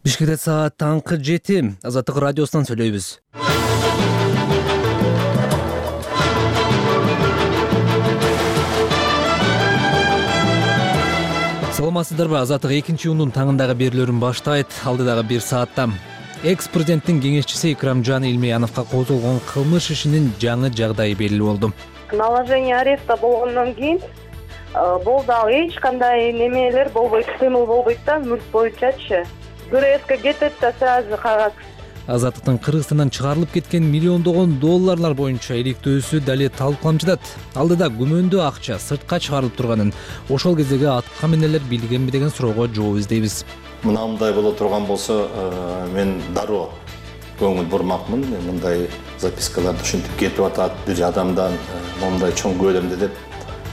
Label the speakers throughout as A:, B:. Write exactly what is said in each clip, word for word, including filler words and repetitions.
A: Бишкекте саат таңкы жети. Азаттык радиосунан сүйлөйбүз. Саламатсыздарбы? Азаттык экинчи июндун таңындагы берүүлөрүн баштайт. Алдыдагы бир саатта экс-президенттин кеңешчиси Икрамжан Илмияновго козголгон кылмыш ишинин жаңы жагдайы белгилүү болду.
B: Наложение ареста болгондон кийин болду, ал эч кандай немелер болбойт, кыймыл болбойт да, мүлк боюнчачы. ГРСке кетет да сразу кагаз.
A: Азаттыктын Кыргызстандан чыгарылып кеткен миллиондогон долларлар боюнча иликтөөсү дали талкууланып жатат. Алдыда күмөндүү акча сыртка чыгарылып турганын, ошол кездеги аткан менелер билгенби деген суроого жооп издейбиз.
C: Мындай боло турган болсо, мен дароо көңүл бурмакмын. Мындай запискаларды ушинтип кетип атат, бир адамдан мондай чоң көлөмдө деп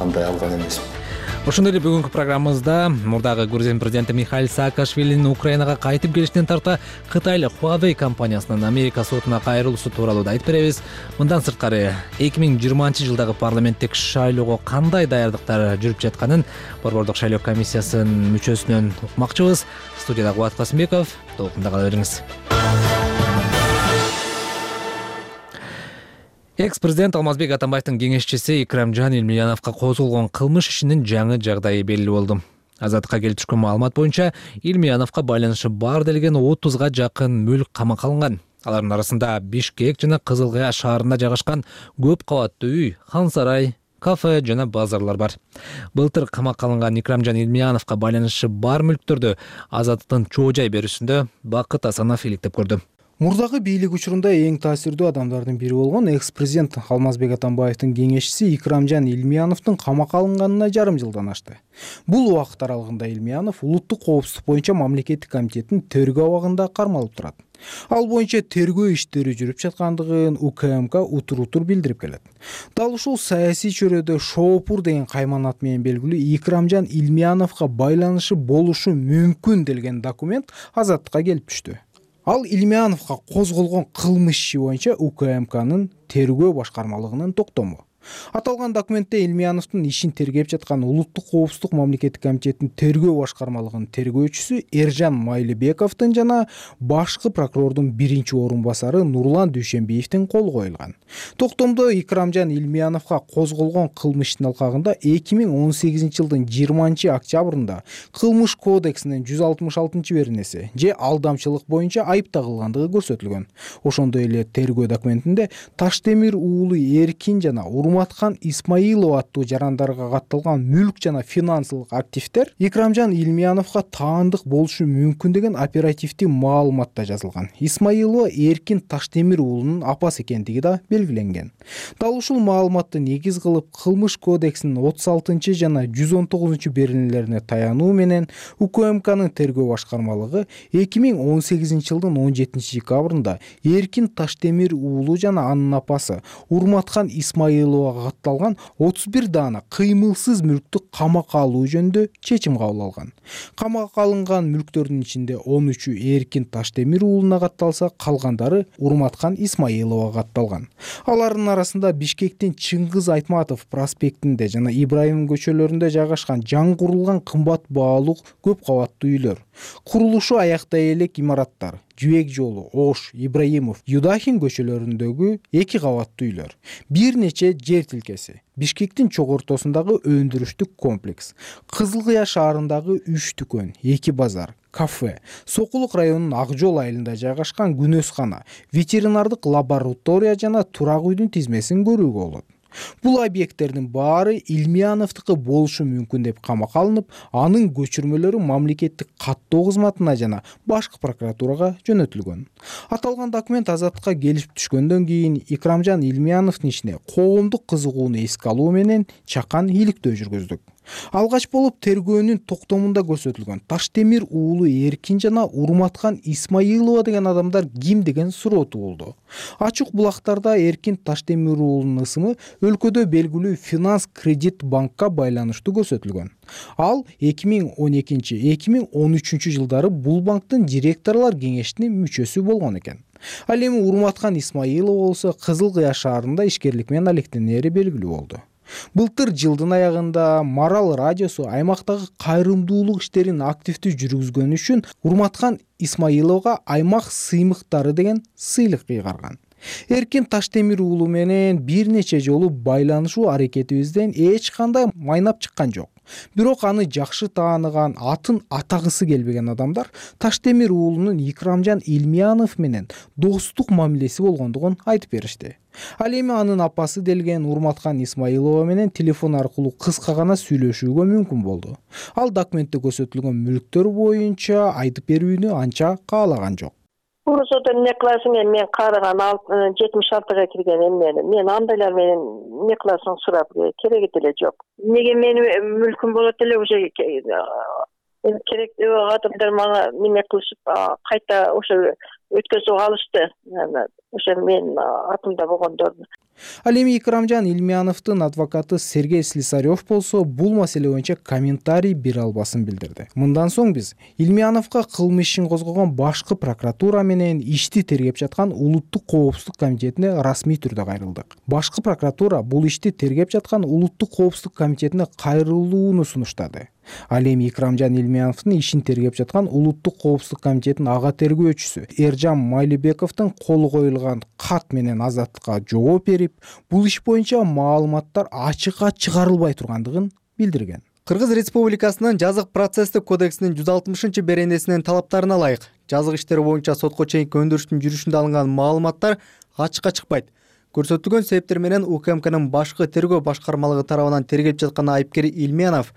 C: андай алган эмесмин.
A: Ошондой эле бүгүнкү программабызда мурдагы Грузия президенти Михаил Саакашвилинин Украинага кайтып келишинен тарта Кытайлык Huawei компаниясынын Америка сотуна кайрылуусу тууралуу да айтып беребиз. Мындан сырткары эки миң жыйырманчы жылдагы парламенттик шайлоого кандай даярдыктар жүрүп жатканын Борбордук шайлоо комиссиясынын мүчөсүнөн укмакчыбыз. Студияда Кубат Касымбеков, толкунда кала бериңиз. Экс-президент Алмазбек Атамбаевдин кеңешчиси Икрамжан Илмияновго козголгон кылмыш ишинин жаңы жагдайы белгилүү болду. Азаттыкка келип түшкөн маалымат боюнча Илмияновго байланышы бар делген отузга жакын мүлк камакка алынган. Алардын арасында Бишкек жана Кызыл Кая шаарында жайгашкан көп кабаттуу үй, хан сарай, кафе жана базарлар бар. Былтыр камакка алынган Икрамжан Илмияновго байланышы бар мүлктөрдү Азаттыктын чоо жай берүүсүндө Бакыт Асанов иликтеп көрдү.
D: Мурдагы бийлик учурунда эң таасирдүү адамдардын бири болгон экс-президент Алмазбек Атамбаевдин кеңешчиси Икрамжан Илмияновдун камакка алынганына жарым жылдан ашты. Бул убакыт аралыгында Илмиянов улуттук коопсуздук боюнча мамлекеттик комитеттин тергөө абагында кармалып турат. Ал боюнча тергөө иштери жүрүп жаткандыгын УКМК утур-утур билдирип келет. Дал ушул саясий чөйрөдө Шоопур деген кайман ат менен белгилүү Икрамжан Илмияновго байланышы болушу мүмкүн делген документ Азаттыкка келип түштү. Ал Илмияновго козголгон кылмыш иши боюнча УКМКнын тергөө башкармалыгынын токтому. Аталган документте Илмияновдун ишин тергеп жаткан улуттук коопсуздук мамлекеттик комитеттин тергөө башкармалыгынын тергөөчүсү Эржан Майлыбековдун жана башкы прокурордун биринчи орун басары Нурлан Дүйшөнбиевдин колу коюлган. Токтомдо Икрамжан Илмияновго козголгон кылмыштын алкагында эки миң он сегизинчи жылдын жыйырманчы октябрында Кылмыш кодексинин жүз алтымыш алтынчы беренеси же алдамчылык боюнча айып тагылгандыгы көрсөтүлгөн. Ошондой эле тергөө документинде Таштемир уулу Эркин жана Урматкан Исмаилов аттуу жарандарга катталган мүлк жана финансылык активдер Икрамжан Илмияновго таандык болушу мүмкүн деген оперативдик маалыматта жазылган. Исмаилова Эркин Таштемир уулунун апасы экендиги да белгиленген. Дал ушул маалыматты негиз кылып Кылмыш кодексинин отуз алтынчы жана жүз он тогузунчу беренелерине таянуу менен УКМКнын тергөө башкармалыгы эки миң он сегизинчи жылдын он жетинчи декабрында Эркин Таштемир уулу жана анын апасы Урматкан Исмаилова катталган отуз бир даана кыймылсыз мүлктү камакка алуу жөнүндө чечим кабыл алган. Камакка алынган мүлктөрдүн ичинде он үчү Эркин Таштемир уулуна катталса, калгандары Урматкан Исмаиловага катталган. Алардын арасында Бишкектин Чыңгыз Айтматов проспектинде жана Ибраим көчөлөрүндө жайгашкан жаңы курулган кымбат баалуу көп кабаттуу үйлөр, курулушу аяктай элек имараттар, Жүбек жолу, Ош, Ибраимов, Юдахин көчөлөрүндөгү эки кабаттуу үйлөр, бир нече жер тилкеси, Бишкектин чок ортосундагы өндүрүштүк комплекс, Кызыл Кыя шаарындагы үч дүкөн, эки базар, кафе, Сокулук районунун Ак жол айылында жайгашкан күнөскана, ветеринардык лаборатория жана турак үйдүн тизмесин көрүүгө болот. Бул объекттердин баары Илмияновдуку болушу мүмкүн деп камакка алынып, анын көчүрмөлөрү мамлекеттик каттоо кызматына жана башкы прокуратурага жөнөтүлгөн. Аталган документ Азаттыкка келип түшкөндөн кийин Икрамжан Илмияновдун ишине коомдук кызыгууну эске алуу менен чакан иликтөө жүргүздүк. Алгач болуп тергөөнүн токтомунда көрсөтүлгөн Таштемир уулу Эркин жана Урматкан Исмаилова деген адамдар ким деген суроо туулду. Ачык булактарда Эркин Таштемир уулунун ысымы өлкөдө белгилүү финанс кредит банкка байланыштуу көрсөтүлгөн. Ал эки миң он экинчи — эки миң он үчүнчү жылдары бул банктын директорлор кеңешинин мүчөсү болгон экен. Ал эми Урматкан Исмаилова болсо Кызыл Кыя шаарында ишкерлик менен алектенери белгилүү болду. Былтыр жылдын аягында Марал радиосу аймактагы кайрымдуулук иштерин активдүү жүргүзгөнү үчүн Урматкан Исмаиловго аймак сыймыктары деген сыйлык ыйгарган. Эркин Таштемир уулу менен бир нече жолу байланышуу аракетибизден эч кандай майнап чыккан жок. Бирок аны жакшы тааныган, атын атагысы келбеген адамдар Таштемир уулунун Икрамжан Илмиянов менен достук мамилеси болгондугун айтып беришти. Ал эми анын апасы делген Урматкан Исмаилова менен телефон аркылуу кыска гана сүйлөшүүгө мүмкүн болду. Ал документте көрсөтүлгөн мүлктөр боюнча айтып берүүнү анча каалаган жок.
E: Урусода эмне классым мен караган жетимиш алтыга кирген эмнени. Мен андайлар менен эмне классың сурап кереги деле жок. Эмнеге менин мүлкүм болот эле уже керектүү адамдар мага неме кылышып кайта ошо өткөзүп алышты. Ошо мен атымда болгондорду.
D: Ал эми Икрамжан Илмияновдун адвокаты Сергей Слесарев болсо бул маселе боюнча комментарий бере албасын билдирди. Мындан соң биз Илмияновго кылмыш ишин козгогон башкы прокуратура менен ишти тергеп жаткан Улуттук коопсуздук комитетине расмий түрдө кайрылдык. Башкы прокуратура бул ишти тергеп жаткан Улуттук коопсуздук комитетине кайрылууну сунуштады. Ал эми Икрамжан Илмияновдун ишин тергеп жаткан Улуттук коопсуздук комитетинин ага тергөөчүсү Эржан Майлыбековдун колу коюлган кат менен Азаттыкка жооп берип, бул иш боюнча маалыматтар ачыкка чыгарылбай тургандыгын билдирген.
F: Кыргыз Республикасынын жазык процесстик кодексинин жүз алтымышынчы беренесинин талаптарына ылайык жазык иштери боюнча сотко чейинки өндүрүштүн жүрүшүндө алынган маалыматтар ачыкка чыкпайт. Көрсөтүлгөн себептер менен УКМКнын башкы тергөө башкармалыгы тарабынан тергеп жаткан айыпкер Илмиянов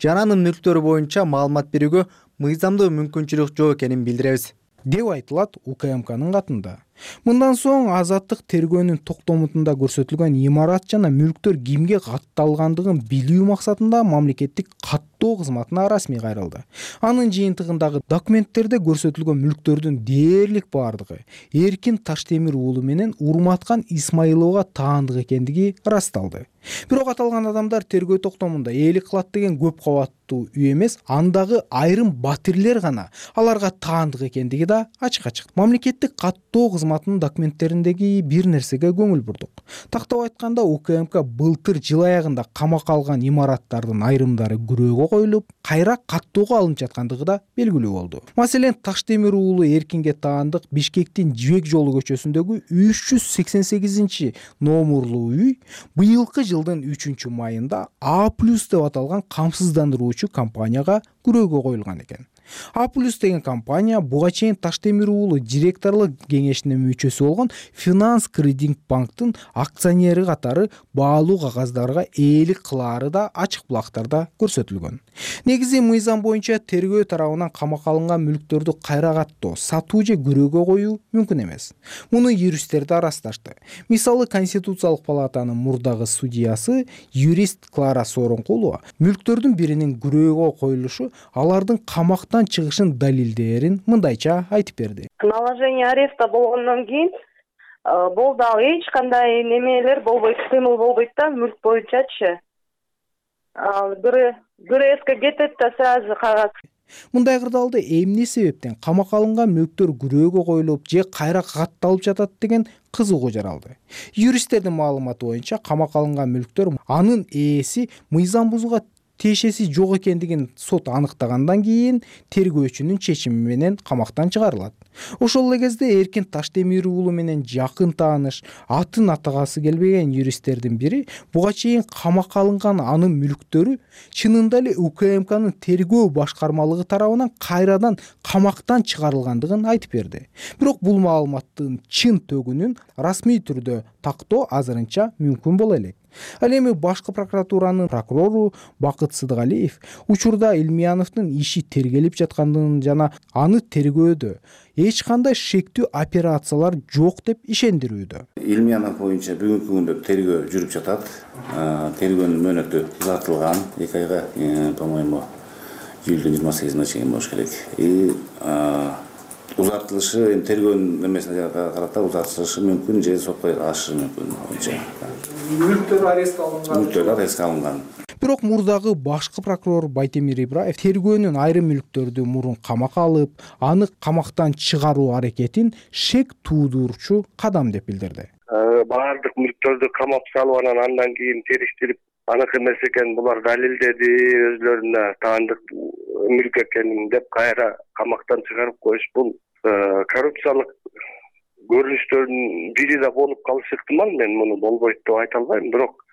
F: жана анын мүлктөрү боюнча маалымат берүүгө мыйзамдуу мүмкүнчүлүк жок экенин билдиребиз,
D: деп айтылат УКМКнын катында. Мындан соң Азаттык тергөөнүн токтомутунда көрсөтүлгөн имарат жана мүлктөр кимге катталгандыгын билүү максатында мамлекеттик каттоо кызматына расмий кайрылды. Анын жыйынтыгындагы документтерде көрсөтүлгөн мүлктөрдүн дээрлик бардыгы Эркин Таштемир уулу менен Урматкан Исмаиловго таандык экендиги ырасталды. Бирок аталган адамдар тергөө токтомунда ээлик кылат деген көп кабаттуу үй эмес, андагы айрым батирлер гана аларга таандык экендиги да ачыкка чыкты. Мамлекеттик каттоо кызматынын документтериндеги бир нерсеге көңүл бурдук. Тактап айтканда УКМК былтыр жыл аягында камакка алган имараттардын айрымдары күрөөгө коюлуп, кайра каттоого алынып жаткандыгы да белгилүү болду. Маселен, Таштемир уулу Эркинге таандык Бишкектин Жибек жолу көчөсүндөгү үч жүз сексен сегизинчи номерлуу үй быйылкы жылдын үчүнчү майында А плюс деп аталган камсыздандыруучу компанияга күрөөгө коюлган экен. А плюс деген компания буга чейин Таштемир уулу директорлук кеңешинин мүчөсү болгон Финанс Кредит банктын акционери катары баалуу кагаздарга ээлик кылаары да ачык булактарда көрсөтүлгөн. Негизи мыйзам боюнча тергөө тарабынан камакка алынган мүлктөрдү кайра каттоо, сатуу же күрөөгө коюу мүмкүн эмес. Муну юристтер да ырасташты. Мисалы, Конституциялык палатанын мурдагы судьясы юрист Клара Сооронкулова мүлктөрдүн биринин күрөөгө коюлушу алардын камактан чыгышын далилдээрин мындайча айтып берди.
B: Наложение ареста болгондон кийин болду, ал эч кандай немелер болбойт, кыймыл болбойт да мүлк боюнчачы. Ал ГРСке кетет да сразу кагаз.
D: Мындай кырдаалда эмне себептен камакка алынган мүлктөр күрөөгө коюлуп же кайра катталып жатат деген кызыгуу жаралды. Юристтердин маалыматы боюнча камакка алынган мүлктөр анын ээси мыйзам бузууга тиешеси жок экендигин сот аныктагандан кийин тергөөчүнүн чечими менен камактан чыгарылат. Ошол эле кезде Эркин Таштемир уулу менен жакын тааныш, атын атагасы келбеген юристтердин бири буга чейин камакка алынган анын мүлктөрү чынында эле УКМКнын тергөө башкармалыгы тарабынан кайрадан камактан чыгарылгандыгын айтып берди. Бирок бул маалыматтын чын төгүнүн расмий түрдө тактоо азырынча мүмкүн боло элек. Ал эми башкы прокуратуранын прокурору Бакыт Сыдыгалиев учурда Илмияновдун иши тергелип жаткандыгын жана аны тергөөдө эч кандай шектүү операциялар жок деп ишендирүүдө.
G: Илмиянов боюнча бүгүнкү күндө тергөө жүрүп жатат. Тергөөнүн мөөнөтү узартылган эки айга, по-моему, июлдун жыйырма сегизине чейин болуш керек. И узартылышы эми тергөөнүн эмесине карата узартылышы мүмкүн же сотко ашышы мүмкүн.
D: Мүлктөр арестке алынган.
G: Мүлктөр арестке алынган.
D: Бирок мурдагы башкы прокурор Байтемир Ибраев тергөөнүн айрым мүлктөрдү мурун камакка алып, аны камактан чыгаруу аракетин шек туудурчу кадам деп билдирди.
H: Баардык мүлктөрдү камап салып анан андан кийин териштирип аныкы эмес экен, булар далилдеди, өзлөрүнө таандык мүлк экенин деп кайра камактан чыгарып коюш, бул коррупциялык көрүнүштөрдүн бири да болуп калышы ыктымал. Мен муну болбойт деп айта албайм, бирок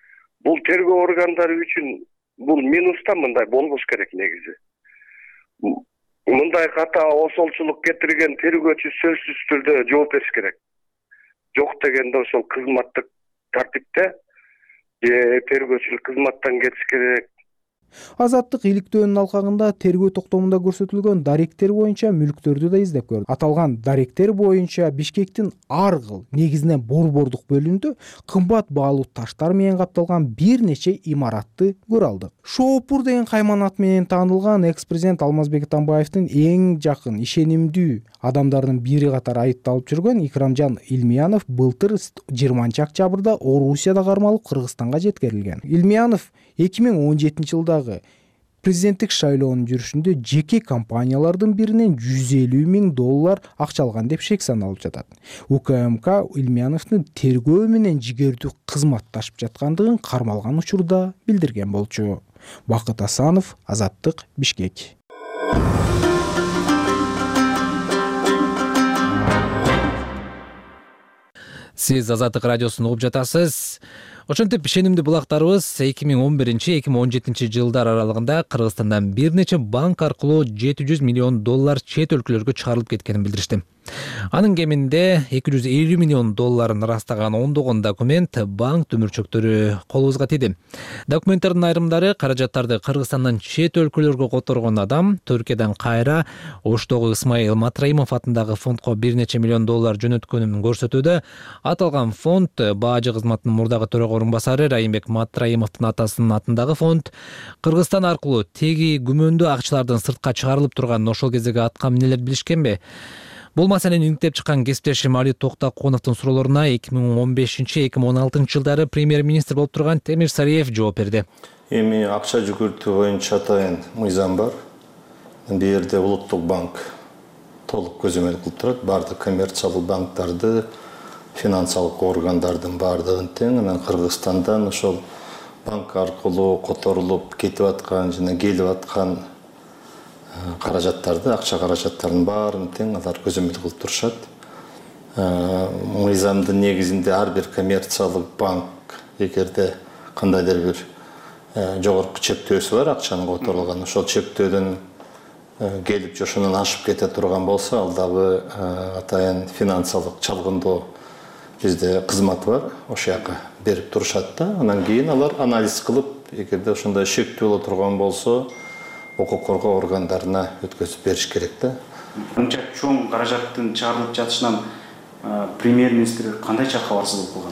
H: бул тергөө органдары үчүн бул минус да, мындай болбош керек негизи. Мындай ката осолчулук кетирген тергөөчү сөзсүз түрдө жооп бериш керек. Жок дегенде ошол кызматтык тартипте же тергөөчүлүк кызматтан кетиш керек.
D: Азаттык иликтөөнүн алкагында тергөө токтомунда көрсөтүлгөн даректер боюнча мүлктөрдү да издеп көрдү. Аталган даректер боюнча Бишкектин ар кыл, негизинен борбордук бөлүгүндө кымбат баалуу таштар менен капталган бир нече имаратты көрө алдык. Шоопур деген кайманат менен таанылган экс-президент Алмазбек Атамбаевдин эң жакын, ишенимдүү адамдарынын бири катары айыпталып жүргөн Икрамжан Илмиянов былтыр жыйырманчы октябрда Орусияда кармалып Кыргызстанга жеткирилген. Илмиянов эки миң он жетинчи жылдагы президенттик шайлоонун жүрүшүндө жеке компаниялардын биринен жүз элүү миң доллар акча алган деп шек саналып жатат. УКМК Илмияновдун тергөө менен жигердүү кызматташып жаткандыгын кармалган учурда билдирген болчу. Бакыт Асанов, Азаттык, Бишкек.
A: Сиз Азаттык радиосун угуп жатасыз. Ошентип ишенимдүү булактарыбыз эки миң он биринчи эки миң он жетинчи жылдар аралыгында Кыргызстандан бир нече банк аркылуу жети жүз миллион доллар чет өлкөлөргө чыгарылып кеткенин билдиришти. Анын кеминде эки жүз элүү миллион долларын ырастаган ондогон документ банк төмүрчөктөрү колубузга тийди. Документтердин айрымдары каражаттарды Кыргызстандан чет өлкөлөргө которгон адам Түркиядан кайра Оштогу Исмаил Матраимов атындагы фондко бир нече миллион доллар жөнөткөнүн көрсөтүүдө. Аталган фонд бажы кызматынын мурдагы төрага орун басары Райымбек Матраимовдун атасынын атындагы фонд Кыргызстан аркылуу теги күмөндүү акчалардын сыртка чыгарылып турганын ошол кездеги атка минелер билишкенби? Бул маселени иңиктеп чыккан кесиптешим Али Токтокуновдун суроолоруна эки миң он бешинчи эки миң он алтынчы жылдары премьер-министр болуп турган Темир Сариев жооп берди.
C: Эми акча жүгүртүү боюнча атайын мыйзам бар. Бул жерде Улуттук банк толук көзөмөл кылып турат. Бардык коммерциялык банктарды, финансылык органдардын бардыгын тең. Анан Кыргызстандан ошол банк аркылуу которулуп кетип аткан жана келип аткан каражаттарды, акча каражаттарынын баарын тең алар көзөмөл кылып турушат. Мыйзамдын негизинде ар бир коммерциялык банк эгерде кандайдыр бир жогорку чектөөсү бар, акчанын которулган, ошол чектөөдөн келип же ошондон ашып кете турган болсо, ал дагы атайын финансылык чалгындоо бизде кызматы бар, ошол жака берип турушат да. Анан кийин алар анализ кылып, эгерде ошондой шектөө боло турган болсо, укук коргоо органдарына өткөзүп бериш керек да.
I: Мынча чоң каражаттын чыгарылып жатышынан премьер-министр кандайча кабарсыз болуп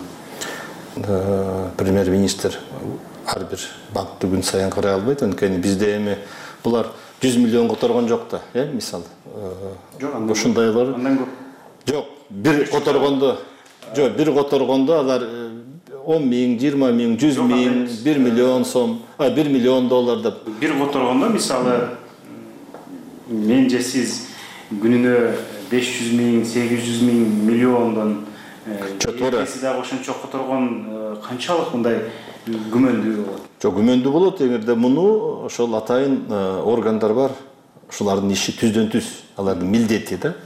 I: калган?
C: Премьер-министр ар бир банкты күн сайын карай албайт, анткени бизде эми булар жүз миллион которгон жок да, э, мисалы. Жок, ушундайлар. Андан көп. Жок, бир которгондо, жок, бир которгондо алар он миң, жыйырма миң, жүз миң, бир миллион сом, а бир миллион доллар деп.
I: Бир которгондо мисалы мен же сиз күнүнө беш жүз миң, сегиз жүз миң миллиондон эки дагы ошончо которгон канчалык мындай күмөндүү болот?
C: Жок, күмөндүү болот, эгерде муну ошол атайын органдар бар. Ошолардын иши түздөн түз, алардын милдети да.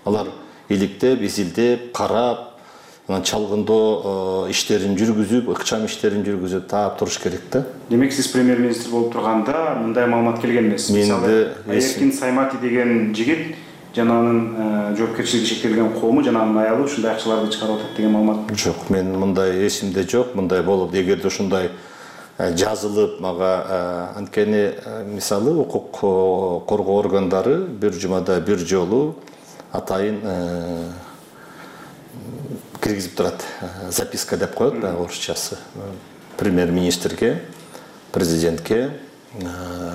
C: Алар иликтеп, изилдеп, карап, анан чалгындоо иштерин жүргүзүп, ыкчам иштерин жүргүзүп таап туруш керек да.
I: Демек сиз премьер-министр болуп турганда мындай маалымат келген эмес. Мисалы, Эркин Саймати деген жигит жана анын жоопкерчилиги шектелген коому жана анын аялы ушундай акчаларды чыгарып атат деген маалымат.
C: Жок, мен мындай эсимде жок, мындай болуп, эгерде ушундай жазылып мага, анткени мисалы укук коргоо органдары бир жумада бир жолу атайын киргизип турат, записка деп коет да орусчасы. Премьер-министрге, президентке,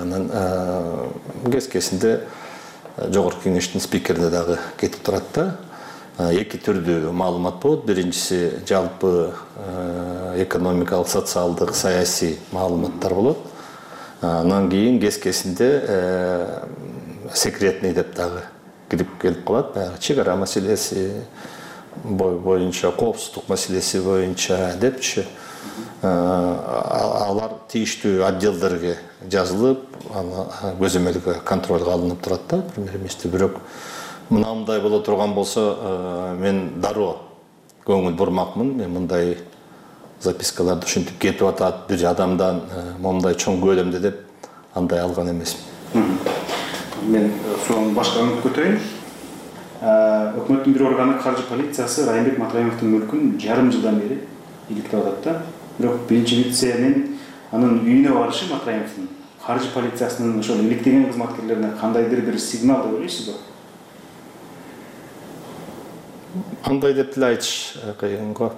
C: анан кескесинде жогорку кеңештин спикерине дагы кетип турат да. Эки түрдүү маалымат болот. Биринчиси жалпы экономикалык, социалдык, саясий маалыматтар болот. Анан кийин кескесинде секретный деп дагы кирип келип калат. Баягы чек ара маселеси боюнча, коопсуздук маселеси боюнча депчи. алар тийиштүү отделдерге жазылып, аны көзөмөлгө контролго алынып турат да, премьер-министр. Бирок мындай боло турган болсо, мен дароо көңүл бурмакмын. Мен мындай запискаларды ушинтип кетип атат, бир адамдан момундай чоң көлөмдө деп андай алган эмесмин.
I: Мен сонун башка өңүп көтөрөйүн. Өкмөттүн бир органы каржы полициясы Райымбек Матраимовдун мүлкүн жарым жылдан бери иликтеп атат да. Бирок биринчи вице-мен анын үйүнө барышы Матраимовдун каржы полициясынын ошол иликтеген кызматкерлерине кандайдыр бир сигнал деп ойлойсузбу?
C: Андай деп деле айтыш кыйын го.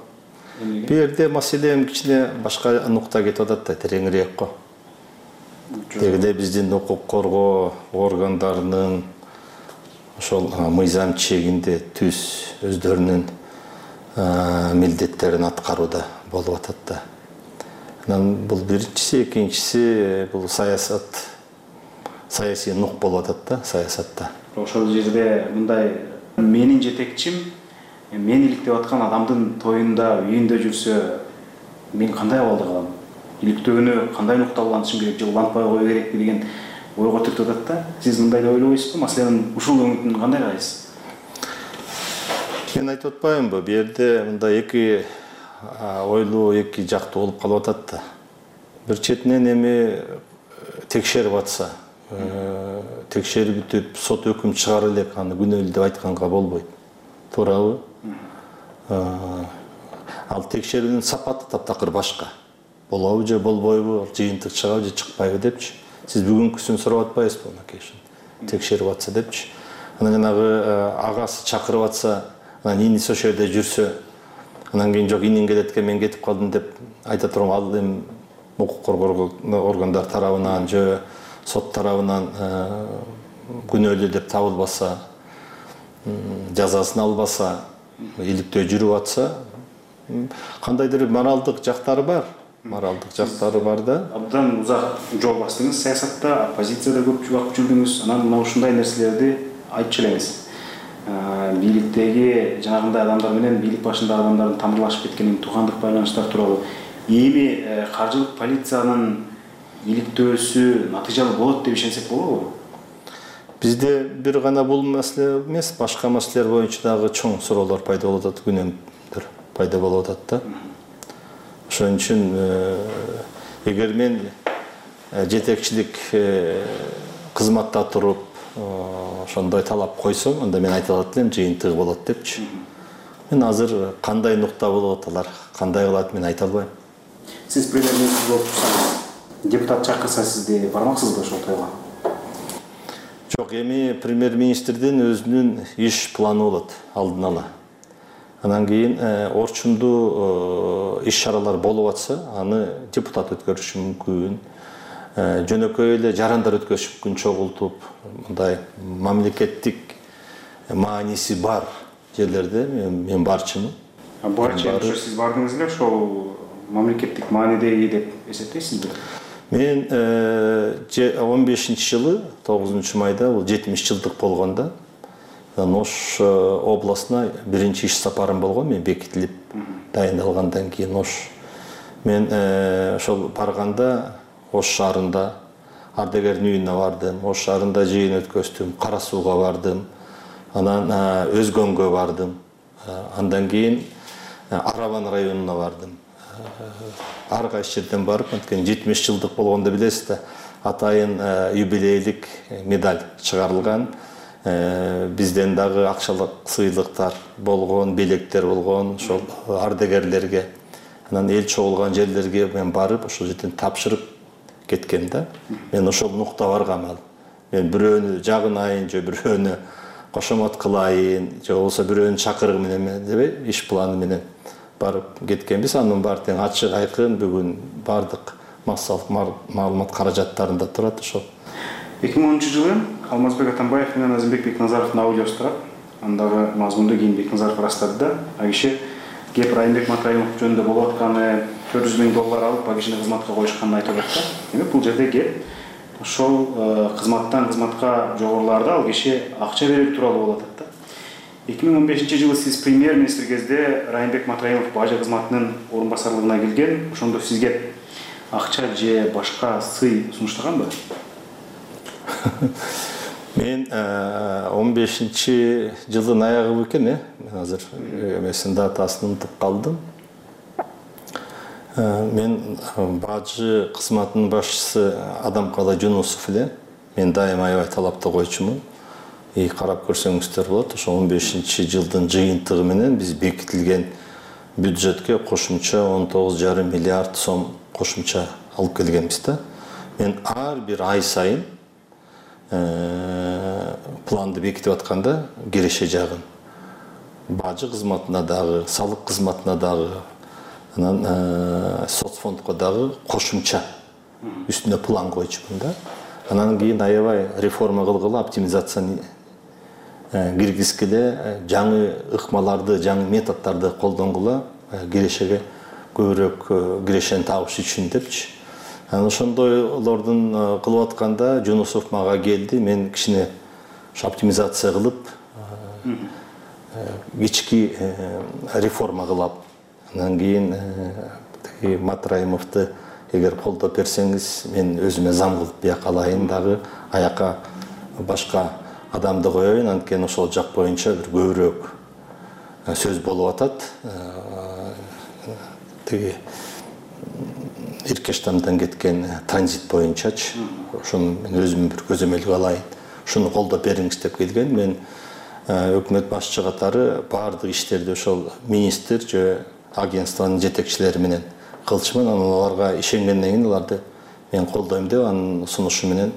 C: Бул жерде маселе кичине башка нукта кетип атат да, тереңирээк го. Тегиде биздин укук коргоо органдарынын ошол мыйзам чегинде түз өздөрүнүн милдеттерин аткарууда болуп атат да. Анан бул биринчиси, экинчиси бул саясат, саясий нук болуп атат да, саясатта.
I: Ошол жерде мындай менин жетекчим мен иликтеп аткан адамдын тоюнда, үйүндө жүрсө, мен кандай абалда калам? Иликтөөнү кандай нукта улантышым керек, же улантпай кою керекпи деген ойго түртүп атат да. Сиз мындай деп ойлойсузбу? Маселенин ушул өңүтүн кандай карайсыз?
C: Мен айтып атпаймынбы, бу жерде мындай эки ойлуу, эки жактуу болуп калып атат да. Бир четинен эми текшерип атса, текшерип бүтүп, сот өкүм чыгара элек, аны күнөөлүү деп айтканга болбойт. Туурабы? Ал текшерүүнүн сапаты таптакыр башка. Болобу же болбойбу, ал жыйынтык чыгабы же чыкпайбы депчи. Сиз бүгүнкүсүн сурап атпайсызбы, макешин? Текшерип атса депчи. Анан жанагы агасы чакырып атса, анан иниси ошол жерде жүрсө, анан кийин жок инин келет экен, мен кетип калдым деп айта турган, ал эми укук коргоо органдар тарабынан же сот тарабынан күнөөлүү деп табылбаса, жазасын албаса, иликтөө жүрүп атса, кандайдыр моралдык жактары бар. Моралдык жактары бар да.
I: Абдан узак жол бастыңыз саясатта, оппозицияда көп убакыт жүрдүңүз. Анан мына ушундай нерселерди айтчу элеңиз. Бийликтеги жанагындай адамдар менен бийлик башындагы адамдардын тамырлашып кеткенин, туугандык байланыштар тууралуу. Эми каржылык полициянын иликтөөсү натыйжалуу болот деп ишенсек болобу?
C: Бизде бир гана бул маселе эмес, башка маселелер боюнча дагы чоң суроолор пайда болуп атат, күнөөмдөр пайда болуп атат да. Ошон үчүн эгер мен жетекчилик кызматта туруп ошондой талап койсом, анда мен айта алат элем, жыйынтыгы болот депчи. Мен азыр кандай нукта болуп аталар, кандай кылат, мен айта албайм.
I: Сиз премьер-министр болуп турсаңыз, депутат чакырса сизди бармаксызбы ошол тойго?
C: Жок, эми премьер-министрдин өзүнүн иш планы болот алдын ала. Анан кийин орчундуу иш-чаралар болуп атса, аны депутат өткөрүшү мүмкүн. Жөнөкөй эле жарандар өткөрүшү мүмкүн, чогултуп, мындай мамлекеттик мааниси бар жерлерде мен барчымын.
I: Барчы, сиз бардыңыз эле ошол мамлекеттик маанидеги деп эсептейсизби?
C: Мен он бешинчи жылы тогузунчу майда бул жетимиш жылдык болгондо Ош областына биринчи иш сапарым болгон, мен бекитилип дайындалгандан кийин Ош. Мен ошол барганда Ош шаарында ардегердин үйүнө бардым, Ош шаарында жыйын өткөздүм, Кара Сууга бардым, анан Өзгөнгө бардым, андан кийин Арабан районуна бардым. Ар кайсы жерден барып, анткени жетимиш жылдык болгондо билесиз да, атайын юбилейлик медаль чыгарылган. Бизден дагы акчалык сыйлыктар болгон, белектер болгон, ошол ардегерлерге, анан эл чогулган жерлерге мен барып, ошол жерден тапшырып кеткен да. Мен ошол нукта баргам ал. Мен бирөөнү жагынайын, же бирөөнү кошомот кылайын, же болбосо бирөөнү чакыргым менен дебей, иш планы менен барып кеткенбиз. Анын баары тең ачык айкын бүгүн бардык массалык маалымат каражаттарында турат ошол.
I: эки миң онунчу жылы Алмазбек Атамбаев менен Азимбек Бекназаровдун аудиосу турат. Андагы мазмунду кийин Бекназаров ырастады да. А киши кеп Райымбек Матраимов жөнүндө болуп атканы, төрт жүз миң доллар алып, а кишини кызматка коюшканын айтып атат да. Демек бул жерде кеп ошол кызматтан кызматка жогорулаарда ал киши акча берүү тууралуу болуп атат да. эки миң он бешинчи жылы сиз премьер-министр кезде Райымбек Матраимов бажы кызматынын орун басарлыгына келген. Ошондо сизге акча же башка сый сунуштаганбы?
C: Мен он бешинчи жылдын аягы экен, э? Мен азыр эмесин датасын унутуп калдым. Мен бажы кызматынын башчысы Адамкалы Жунусов эле. Мен дайыма аябай талапты койчумун. И карап көрсөңүздөр болот. Ошо он бешинчи жылдын жыйынтыгы менен биз бекитилген бюджетке кошумча он тогуз жарым миллиард сом кошумча алып келгенбиз да. Мен ар бир ай сайын планды бекитип атканда киреше жагын бажы кызматына дагы, салык кызматына дагы, анан соцфондко дагы кошумча үстүнө план койчумун да. Анан кийин аябай реформа кылгыла, оптимизацияны киргизгиле, жаңы ыкмаларды, жаңы методдорду колдонгула, кирешеге көбүрөөк кирешени табыш үчүн депчи. Анан ошондойлордун кылып атканда Жунусов мага келди. Мен кичине оптимизация кылып, кички реформа кылап, анан кийин Матраимовду эгер колдоп берсеңиз, мен өзүмө зам кылып бияка алайын дагы, аяка башка адамды коеюн, анткени ошол жак боюнча бир көбүрөөк сөз болуп атат. Тиги Иркештамдан кеткен транзит боюнчачы, ошону мен өзүм бир көзөмөлгө алайын, ушуну колдоп бериңиз деп келген. Мен өкмөт башчы катары баардык иштерди ошол министр же агентствонун жетекчилери менен кылчумун. Анан аларга ишенгенден кийин аларды мен колдойм деп анын сунушу менен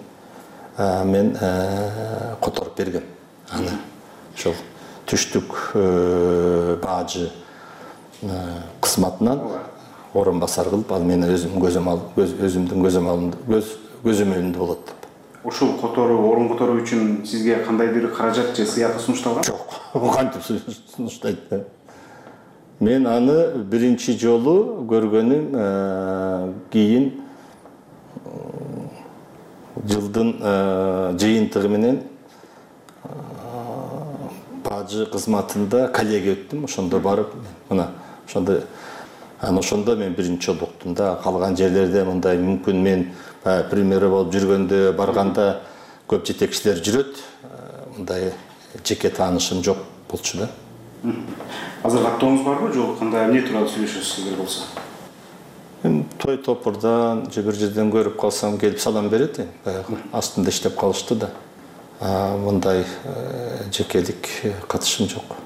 C: мен которуп бергем. Аны ошол түштүк бажы кызматынан орун басар кылып, ал мен өзүм өзүмдүн көзөмөлүмдө болот деп.
I: Ушул которуу, орун которуу үчүн сизге кандайдыр каражат же сыйақы сунушталган?
C: Жок, кантип сунуштайт да. Мен аны биринчи жолу көргөнүм кийин жылдын жыйынтыгы менен бажы кызматында коллегия өттүм. Ошондо барып, мына ошондо анан ошондо мен биринчи жолу уктум да. Калган жерлерде мындай мүмкүн мен премьер болуп жүргөндө барганда көп жетекчилер жүрөт. Мындай жеке таанышым жок болчу да.
I: Азыр каттооңуз барбы, жок кандай эмне тууралуу сүйлөшөсүз эгер болсо?
C: Мен той топурдан же бир жерден көрүп калсам келип салам берет. Астында иштеп калышты да. Мындай жекелик катышым жок.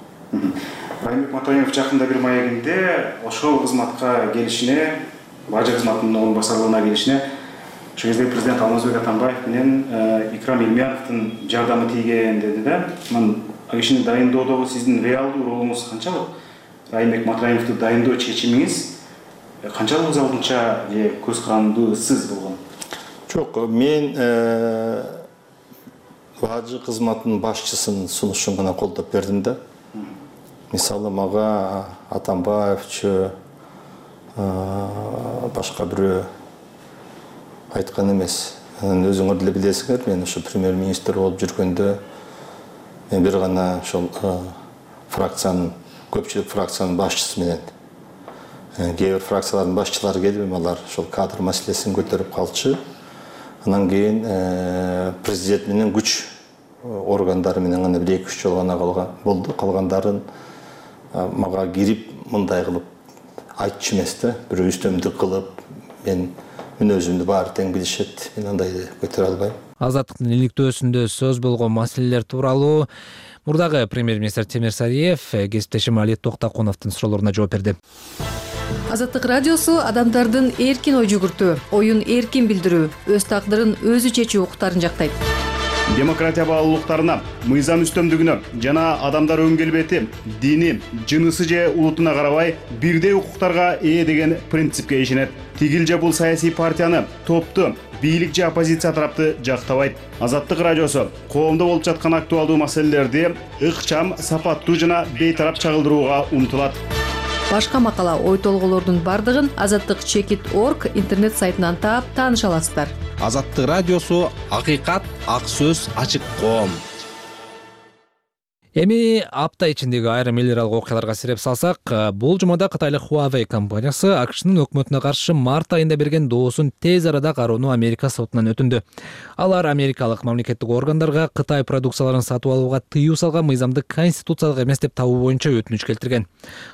I: Райымбек Матраимов жакында бир маегинде ошол кызматка келишине, бажы кызматынын орун басарлыгына келишине ошол кезде президент Алмазбек Атамбаев менен Икрам Илмияновдун жардамы тийген деди да. Анан кишини дайындоодогу сиздин реалдуу ролуңуз канчалык? Райымбек Матраимовду дайындоо чечимиңиз канчалык алдынча же көз карандысыз болгон?
C: Жок, мен бажы кызматынын башчысынын сунушун гана колдоп бердим да. Мисалы мага Атамбаевчу башка бирөө айткан эмес. Өзүңөр деле билесиңер, мен ошо премьер-министр болуп жүргөндө мен бир гана ошол фракциянын, көпчүлүк фракциянын башчысы менен кээ бир фракциялардын башчылары келип, алар ошол кадр маселесин көтөрүп калчу. Анан кийин президент менен күч органдары менен гана бир эки үч жолу гана калган болду. Калгандарын мага кирип мындай кылып айтчу эмес да, бирөө үстөмдүк кылып, мен мүнөзүмдү баары тең билишет. Мен андайды көтөрө албайм.
A: Азаттыктын иликтөөсүндө сөз болгон маселелер тууралуу мурдагы премьер-министр Темир Сариев кесиптешим Али Токтакуновдун суроолоруна жооп берди.
J: Азаттык радиосу адамдардын эркин ой жүгүртүү, оюн эркин билдирүү, өз тагдырын өзү чечүү укуктарын жактайт.
I: Демократия баалуулуктарына, мыйзам үстөмдүгүнө жана адамдар өн келбети, дини, жынысы же улутуна карабай бирдей укуктарга ээ деген принципке ишенет. Тигил же бул саясий партияны, топту, бийлик же оппозиция тарапты жактабайт. Азаттык радиосу коомдо болуп жаткан актуалдуу маселелерди ыкчам, сапаттуу жана бейтарап чагылдырууга умтулат.
J: Башка макала, ой толголордун бардыгын азаттык чекит точка орг интернет сайтынан таап тааныша аласыздар.
K: Азаттык радиосу акыйкат, ак сөз, ачык коом.
A: Эми апта ичиндеги айрым эл аралык окуяларга сиреп салсак, бул жумада кытайлык Huawei компаниясы АКШнын өкмөтүнө каршы март айында берген доосун тез арада кароону Америка сотунан өтүндү. Алар америкалык мамлекеттик органдарга Кытай продукцияларын сатып алууга тыюу салган мыйзамды конституциялык эмес деп табуу боюнча өтүнүч келтирген.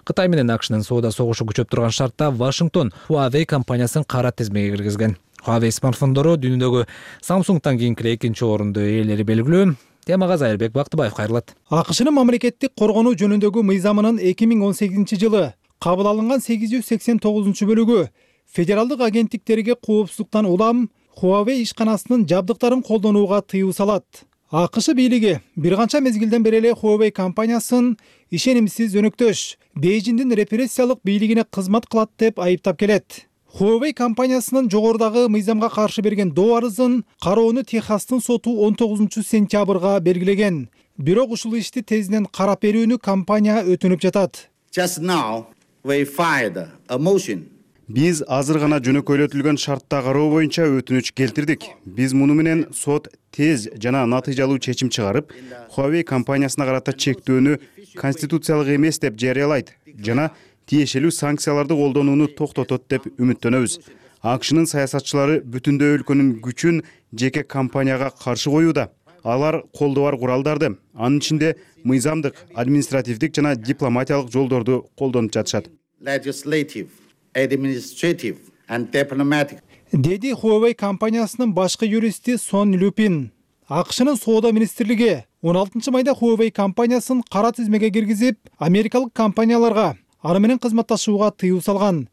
A: Кытай менен АКШнын соода согушу күчөп турган шартта Вашингтон Huawei компаниясын кара тизмеге киргизген. Huawei смартфондору дүйнөдөгү Samsungтан кийинки экинчи орунду ээлери белгилүү. Темага Зайырбек Бактыбаев кайрылат.
D: АКШнын мамлекеттик коргонуу жөнүндөгү мыйзамынын эки миң он сегизинчи жылы кабыл алынган сегиз жүз сексен тогузунчу бөлүгү федералдык агенттиктерге коопсуздуктан улам Huawei ишканасынын жабдыктарын колдонууга тыюу салат. АКШ бийлиги бир канча мезгилден бери эле Huawei компаниясын ишенимсиз өнөктөш, Бейжиңдин репрессиялык бийлигине кызмат кылат деп айыптап келет. Huawei компаниясынын жогорудагы мыйзамга каршы берген доо арызын кароону Техастын соту он тогузунчу сентябрга белгилеген. Бирок ушул ишти тезинен карап берүүнү компания өтүнүп жатат.
K: Just now we filed a motion.
I: Биз азыр гана жөнөкөйлөтүлгөн шартта кароо боюнча өтүнүч келтирдик. Биз муну менен сот тез жана натыйжалуу чечим чыгарып, Huawei компаниясына карата чектөөнү конституциялык эмес деп жарыялайт жана тиешелүү санкцияларды колдонууну токтотот деп үмүттөнөбүз. АКШнын саясатчылары бүтүндөй өлкөнүн күчүн жеке компанияга каршы коюуда. Алар колдо бар куралдарды, анын ичинде мыйзамдык, административдик жана дипломатиялык жолдорду колдонуп жатышат.
K: Legislative, administrative and diplomatic.
D: Деди Huawei компаниясынын башкы юристи Сон Люпин. АКШнын соода министрлиги он алтынчы майда Huawei компаниясын кара тизмеге киргизип, америкалык компанияларга ары менен кызматташууга тыюу салган.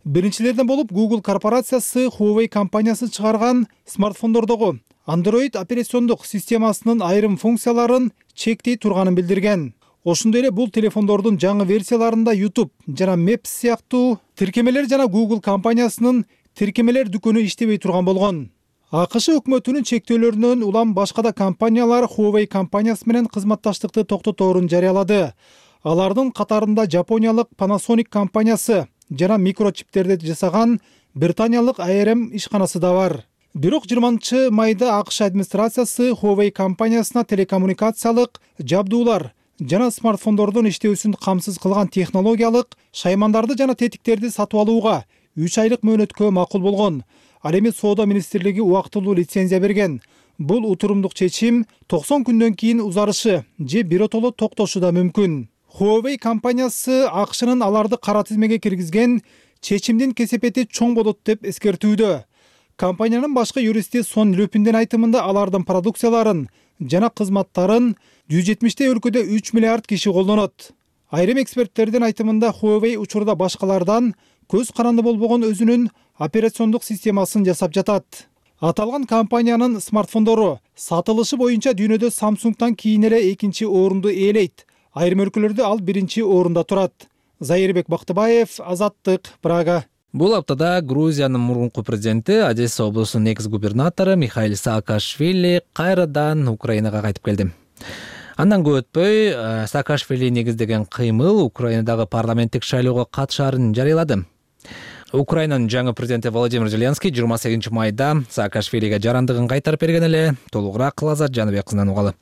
D: Биринчилерден болуп Google корпорациясы Huawei компаниясы чыгарган смартфондордогу Android операциондук системасынын айрым функцияларын чектей турганын билдирген. Ошондой эле бул телефондордун жаңы версияларында YouTube жана Maps сыяктуу тиркемелер жана Google компаниясынын тиркемелер дүкөнү иштебей турган болгон. АКШ өкмөтүнүн чектөөлөрүнөн улам башка да компаниялар Huawei компаниясы менен кызматташтыкты токтоторун жарыялады. Алардын катарында Жапониялык Panasonic компаниясы жана микрочиптерди жасаган Британиялык А Р М ишканасы да бар. Бирок жыйырманчы майда АКШ администрациясы Huawei компаниясына телекоммуникациялык жабдуулар жана смартфондордун иштөөсүн камсыз кылган технологиялык шаймандарды жана тетиктерди сатып алууга үч айлык мөөнөткө макул болгон. Ал эми соода министрлиги убактылуу лицензия берген. Бул утурумдук чечим токсон күндөн кийин узарышы же биротоло токтошу да мүмкүн. Huawei компаниясы АКШнын аларды кара тизмеге киргизген чечимдин кесепети чоң болот деп эскертүүдө. Компаниянын башкы юристи Сон Люпиндин айтымында алардын продукцияларын жана кызматтарын жүз жетимиштей өлкөдө үч миллиард киши колдонот. Айрым эксперттердин айтымында Huawei учурда башкалардан көз каранды болбогон өзүнүн операциондук системасын жасап жатат. Аталган компаниянын смартфондору сатылышы боюнча дүйнөдө Samsungтан кийин эле экинчи орунду ээлейт. Айрым өлкөлөрдө ал биринчи орунда турат. Зайырбек Бактыбаев, Азаттык, Прага.
A: Бул аптада Грузиянын мурунку президенти, Одесса облусунун экс-губернатору Михаил Саакашвили кайрадан Украинага кайтып келди. Андан көп өтпөй Саакашвили негиздеген кыймыл Украинадагы парламенттик шайлоого катышаарын жарыялады. Украинанын жаңы президенти Владимир Зеленский жыйырма сегизинчи майда Саакашвилиге жарандыгын кайтарып берген эле. Толугураак Лазат Жаныбек кызынан угалы.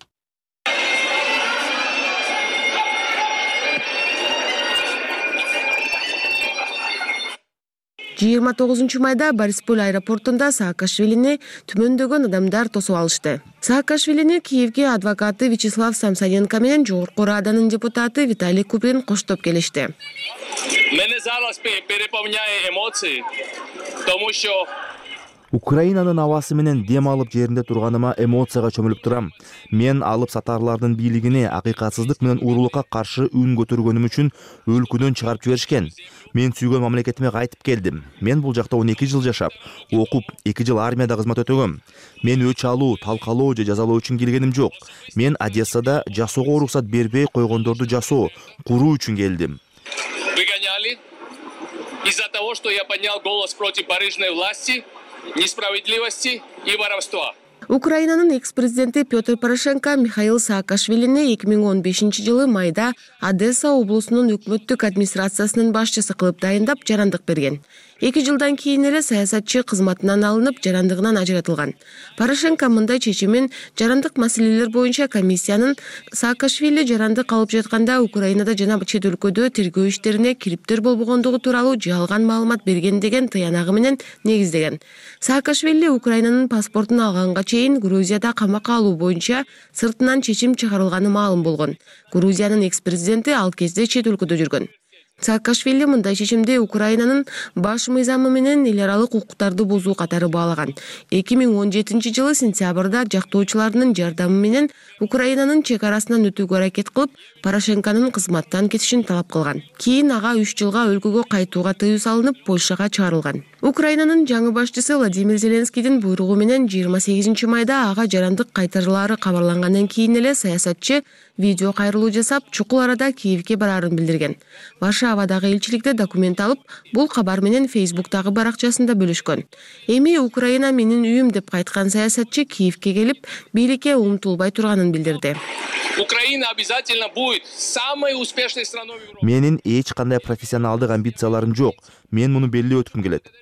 L: жыйырма тогузунчу майда Борисполь аэропортунда Саакашвилини түмөндөгөн адамдар тосуп алышты. Саакашвилини Киевге адвокаты Вячеслав Самсоненко менен Жогорку Раданын депутаты Виталий Куприн коштоп келишти.
M: Мене зараз переполняет эмоции, потому что
N: Украинанын абасы менен дем алып жеринде турганыма эмоцияга чөмүлүп турам. Мен алып сатарлардын бийлигине акыйкатсыздык менен уурулукка каршы үн көтөргөнүм үчүн өлкөдөн чыгарып жиберишкен. Мен сүйгөн мамлекетиме кайтып келдим. Мен бул жакта он эки жыл жашап, окуп, эки жыл армияда кызмат өтөгөм. Мен өч алуу, талкалоо же жазалоо үчүн келгеним жок. Мен Одессада жашоого уруксат бербей койгондорду жасоо, куруу үчүн келдим.
M: Выгоняли из-за того, что я поднял голос против барыжной власти, несправедливости и воровства.
L: Украинанын экс-президенти Петр Порошенко Михаил Саакашвилини эки миң он бешинчи жылы майда Одесса облусунун өкмөттүк администрациясынын башчысы кылып дайындап жарандык берген. Эки жылдан кийин эле саясатчы кызматынан алынып, жарандыгынан ажыратылган. Порошенко мындай чечимин жарандык маселелер боюнча комиссиянын Саакашвили жарандык алып жатканда Украинада жана чет өлкөдө тергөө иштерине кириптер болбогондугу тууралуу жалган маалымат берген деген тыянагы менен негиздеген. Саакашвили Украинанын паспортун алганга чейин Грузияда камакка алуу боюнча сыртынан чечим чыгарылганы маалым болгон. Грузиянын экс-президенти ал кезде чет өлкөдө жүргөн. Саакашвили мындай чечимди Украинанын баш мыйзамы менен эл аралык укуктарды бузуу катары баалаган. эки миң он жетинчи жылы сентябрда жактоочулардын жардамы менен Украинанын чек арасынан өтүүгө аракет кылып, Порошенконун кызматтан кетишин талап кылган. Кийин ага үч жылга өлкөгө кайтууга тыюу салынып, Польшага чыгарылган. Украинанын жаңы башчысы Владимир Зеленскийдин буйругу менен жыйырма сегизинчи майда ага жарандык кайтарылаары кабарлангандан кийин эле саясатчы видео кайрылуу жасап, чукул арада Киевге бараарын билдирген. Варшавадагы элчиликте документ алып, бул кабар менен Фейсбуктагы баракчасында бөлүшкөн. Эми Украина менин үйүм деп кайткан саясатчы Киевге келип, бийликке умтулбай турганын билдирди.
M: Украина обязательно будет самой успешной страной в Европе.
N: Менин эч кандай профессионалдык амбицияларым жок. Мен муну белгилеп өткүм келет.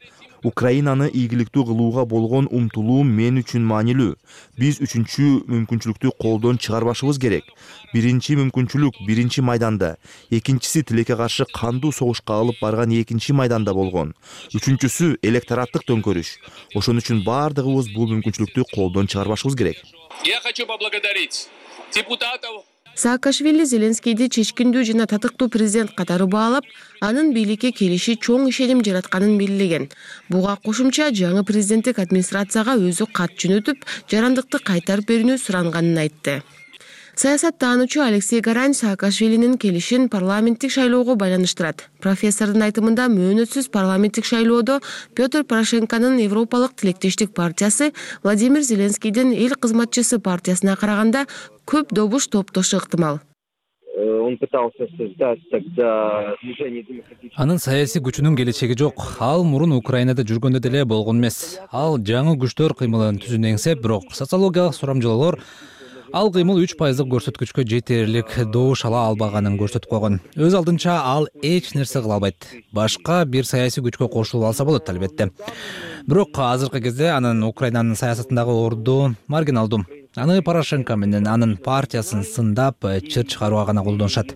N: Украинаны ийгиликтүү кылууга болгон умтулуум мен үчүн маанилүү. Биз үчүнчү мүмкүнчүлүктү колдон чыгарбашыбыз керек. Биринчи мүмкүнчүлүк биринчи майданда, экинчиси тилекке каршы кандуу согушка алып барган экинчи майданда болгон. Үчүнчүсү электораттык төңкөрүш. Ошон үчүн бардыгыбыз бул мүмкүнчүлүктү колдон чыгарбашыбыз керек.
M: Я хочу поблагодарить депутатов.
L: Саакашвили Зеленскийди чечкиндүү жана татыктуу президент катары баалап, анын бийликке келиши чоң ишеним жаратканын белгилеген. Буга кошумча жаңы президенттик администрацияга өзү кат жөнөтүп, жарандыкты кайтарып берүүнү суранганын айтты. Саясаттануучу Алексей Гарань Саакашвилинин келишин парламенттик шайлоого байланыштырат. Профессордун айтымында мөөнөтсүз парламенттик шайлоодо Петр Порошенконун Европалык тилектештик партиясы Владимир Зеленскийдин эл кызматчысы партиясына караганда көп добуш топтошу ыктымал.
O: Он пытался создать тогда движение демократических.
A: Анын саясий күчүнүн келечеги жок. Ал мурун Украинада жүргөндө деле болгон эмес. Ал жаңы күчтөр кыймылын түзүүнү эңсеп, бирок социологиялык сурамжылоолор ал кыймыл үч пайыздык көрсөткүчкө жетерлик добуш ала албаганын көрсөтүп койгон. Өз алдынча ал эч нерсе кыла албайт. Башка бир саясий күчкө кошулуп алса болот албетте. Бирок азыркы кезде анын Украинанын саясатындагы орду маргиналдуу. Аны Порошенко менен анын партиясын сындап, чыр чыгарууга гана колдонушат.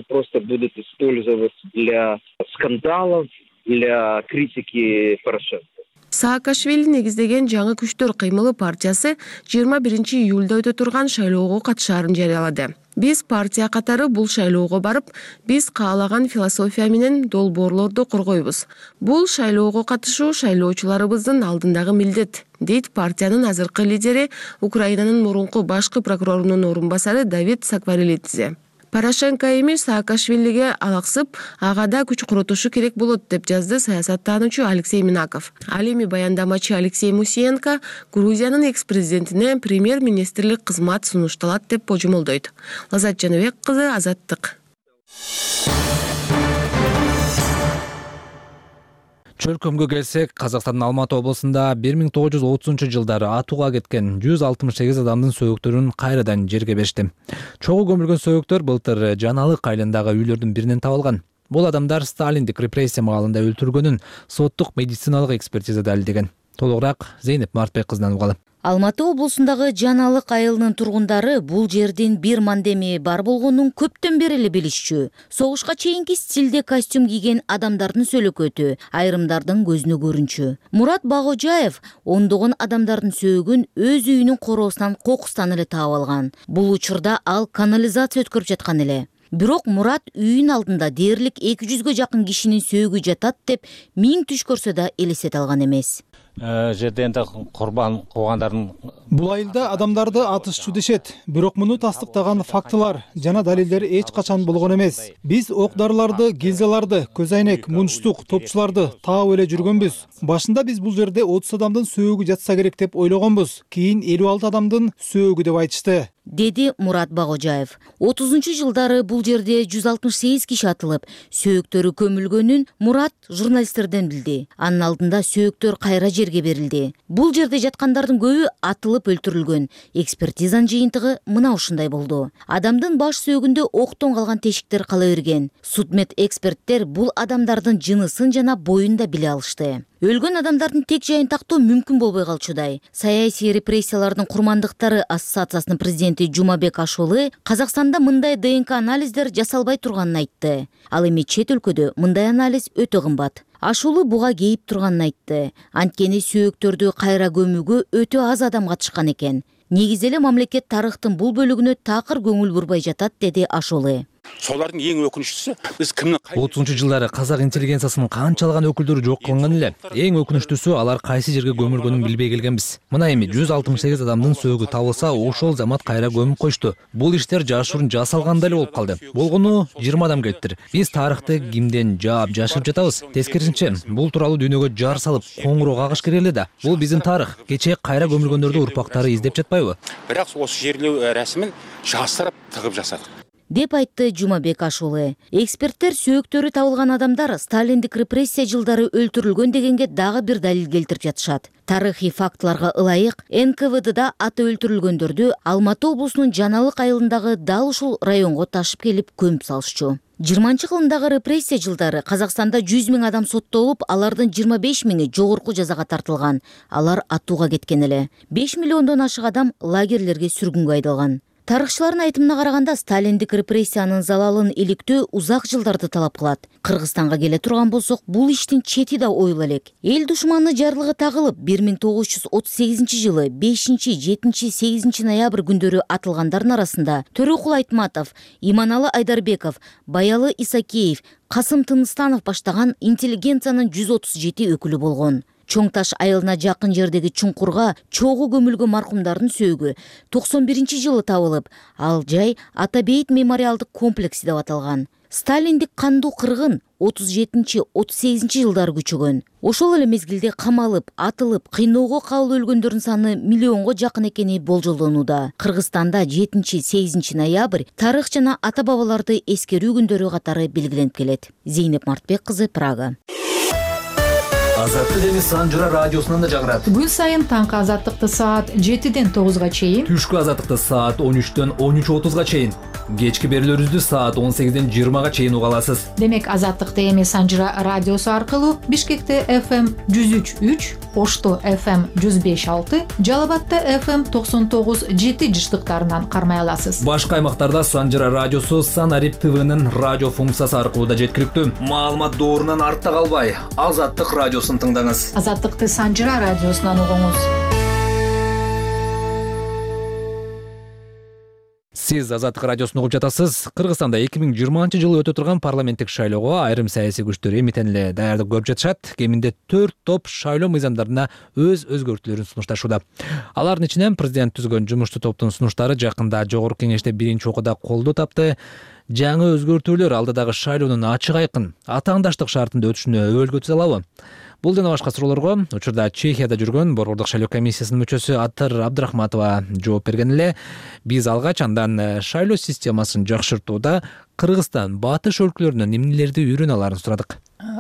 O: Просто будут использовать для скандалов, для критики Порошенко.
L: Саакашвили негиздеген жаңы күчтөр кыймылы партиясы жыйырма биринчи июлда өтө турган шайлоого катышаарын жарыялады. Биз партия катары бул шайлоого барып, биз каалаган философия менен долбоорлорду коргойбуз. Бул шайлоого катышуу шайлоочуларыбыздын алдындагы милдет, дейт партиянын азыркы лидери, Украинанын мурунку башкы прокурорунун орун басары Давид Сакварелидзе. Порошенко эми Саакашвилиге алаксып, ага да күч курутушу керек болот деп жазды саясаттануучу Алексей Минаков. Ал эми баяндамачы Алексей Мусиенко Грузиянын экс-президентине премьер-министрлик кызмат сунушталат деп божомолдойт. Лазат Жаныбек кызы, Азаттык.
A: Чөлкөмгө келсек, Казакстандын Алматы облусунда бир миң тогуз жүз отузунчу жылдары атууга кеткен жүз алтымыш сегиз адамдын сөөктөрүн кайрадан жерге беришти. Чогуу көмүлгөн сөөктөр былтыр Жаналык айылындагы үйлөрдүн биринен табылган. Бул адамдар Сталиндик репрессия маалында өлтүргөнүн соттук медициналык экспертиза далилдеген. Толугураак Зейнеп Мартбек кызынан угалы.
P: Алматы облусундагы Жаналык айылынын тургундары бул жердин бир мандеми бар болгонун көптөн бери эле билишчү. Согушка чейинки стилде костюм кийген адамдардын сөлөкөтү, айрымдардын көзүнө көрүнчү. Мурат Багожаев ондогон адамдардын сөөгүн өз үйүнүн короосунан кокустан эле таап алган. Бул учурда ал канализация өткөрүп жаткан эле. Бирок Мурат үйүн алдында дээрлик эки жүзгө жакын кишинин сөөгү жатат деп миң түш көрсө да элестете алган эмес.
Q: Жерде энди курбан кылгандардын
R: бул айылда адамдарды атышчу дешет, бирок муну тастыктаган фактылар жана далилдер эч качан болгон эмес. Биз ок дарыларды, гильзаларды, көз айнек, мунчтук, топчуларды таап эле жүргөнбүз. Башында биз бул жерде отуз адамдын сөөгү жатса керек деп ойлогонбуз. Кийин элүү алты адамдын сөөгү деп айтышты.
P: деди Мурат Багожаев. отузунчу жылдары бул жерде жүз алтымыш сегиз киши атылып, сөөктөрү көмүлгөнүн Мурат журналисттерден билди. Анын алдында сөөктөр кайра жерге берилди. Бул жерде жаткандардын көбү атылып өлтүрүлгөн. Экспертизанын жыйынтыгы мына ушундай болду. Адамдын баш сөөгүндө октон калган тешиктер кала берген. Судмед эксперттер бул адамдардын жынысын жана боюн да биле алышты. Өлгөн адамдардын тек жайын тактоо мүмкүн болбой калчудай. Саясий репрессиялардын курмандыктары ассоциациясынын президенти Жумабек Ашолы Казакстанда мындай ДНК анализдер жасалбай турганын айтты. Ал эми чет өлкөдө мындай анализ өтө кымбат. Ашулы буга кейип турганын айтты. Анткени сөөктөрдү кайра көмүүгө өтө аз адам катышкан экен. Негизи эле мамлекет тарыхтын бул бөлүгүнө такыр көңүл бурбай жатат, деди Ашулы.
S: Солардын эң өкүнүчтүүсү биз кимдин
A: отузунчу жылдары казак интеллигенциясынын канчалаган өкүлдөрү жок кылынган эле. Эң өкүнүчтүүсү алар кайсы жерге көмүлгөнүн билбей келгенбиз. Мына эми жүз алтымыш сегиз адамдын сөөгү табылса, ошол замат кайра көмүп коюшту. Бул иштер жашыруун жасалгандай эле болуп калды. Болгону жыйырма адам келиптир. Биз тарыхты кимден жаап жашырып жатабыз. Тескерисинче, бул тууралуу дүйнөгө жар салып, коңуроок агыш керек эле да. Бул биздин тарых. Кечээ кайра көмүлгөндөрдү урпактары издеп жатпайбы?
S: Бирок осы жерлөө расмин жасырып тыгып жасадык,
P: деп айтты Жумабек Ашулы. Эксперттер сөөктөрү табылган адамдар сталиндик репрессия жылдары өлтүрүлгөн дегенге дагы бир далил келтирип жатышат. Тарыхый фактыларга ылайык эн ка вэ дда аты өлтүрүлгөндөрдү Алматы облусунун Жаналык айылындагы дал ушул районго ташып келип көмүп салышчу. жыйырманчы кылымдагы репрессия жылдары Казакстанда жүз миң адам соттолуп, алардын жыйырма беш миңи жогорку жазага тартылган. Алар атууга кеткен эле. беш миллиондон ашык адам лагерлерге сүргүнгө айдалган. Тарыхчылардын айтымына караганда, сталиндик репрессиянын залалын иликтөө узак жылдарды талап кылат. Кыргызстанга келе турган болсок, бул иштин чети да ойла элек. Эл душманы жарлыгы тагылып, бир миң тогуз жүз отуз сегизинчи жылы бешинчи, жетинчи, сегизинчи ноябрь күндөрү атылгандардын арасында Төрөкул Айтматов, Иманалы Айдарбеков, Баялы Исакеев, Касым Тыныстанов баштаган интеллигенциянын жүз отуз жети өкүлү болгон. Чоң таш айылына жакын жердеги чуңкурга чогуу көмүлгөн маркумдардын сөөгү токсон биринчи жылы табылып, ал жай Атабейит мемориалдык комплекси деп аталган. Сталиндик кандуу кыргын отуз жетинчи, отуз сегизинчи жылдары күчөгөн. Ошол эле мезгилде камалып, атылып, кыйноого кабыл өлгөндөрдүн саны миллионго жакын экени болжолдонууда. Кыргызстанда жетинчи, сегизинчи ноябрь тарых жана ата бабаларды эскерүү күндөрү катары белгиленип келет. Зейнеп Мартбек кызы, Прага.
A: Азаттык эми Санжыра радиосунан да жагырат.
T: Күн сайын таңкы азаттыкты саат жетиден тогузга чейин,
A: түшкү азаттыкты саат он үчтөн он үч отузга чейин, кечки берүүлөрүбүздү саат он сегизден жыйырмага чейин уга аласыз.
T: Демек азаттыкты эми Санжыра радиосу аркылуу Бишкекте эф эм жүз үч үч, Ошто эф эм жүз беш алты, Жалал Абадта эф эм токсон тогуз жети жыштыктарынан кармай аласыз.
A: Башка аймактарда Санжыра радиосу Санарип ТВнын радио функциясы аркылуу да жеткиликтүү. Маалымат доорунан артта калбай, Азаттык радиосун тыңдаңыз.
T: Азаттыкты Санжыра радиосунан угуңуз.
A: Сиз Азаттык радиосун угуп жатасыз. Кыргызстанда эки миң жыйырманчы жылы өтө турган парламенттик шайлоого айрым саясий күчтөр эмитен эле даярдык көрүп жатышат. Кеминде төрт топ шайлоо мыйзамдарына өз өзгөртүүлөрүн сунушташууда. Алардын ичинен президент түзгөн жумуштуу топтун сунуштары жакында жогорку кеңеште биринчи окууда колдоо тапты. Жаңы өзгөртүүлөр алдыдагы шайлоонун ачык айкын атаандаштык шартында өтүшүнө өбөлгө түзө алабы? Бул жана башка суроолорго учурда Чехияда жүргөн Борбордук шайлоо комиссиясынын мүчөсү Атыр Абдрахматова жооп берген эле. Биз алгач андан шайлоо системасын жакшыртууда Кыргызстан, батыш өлкөлөрүнөн эмнелерди үйрөнө аларын сурадык.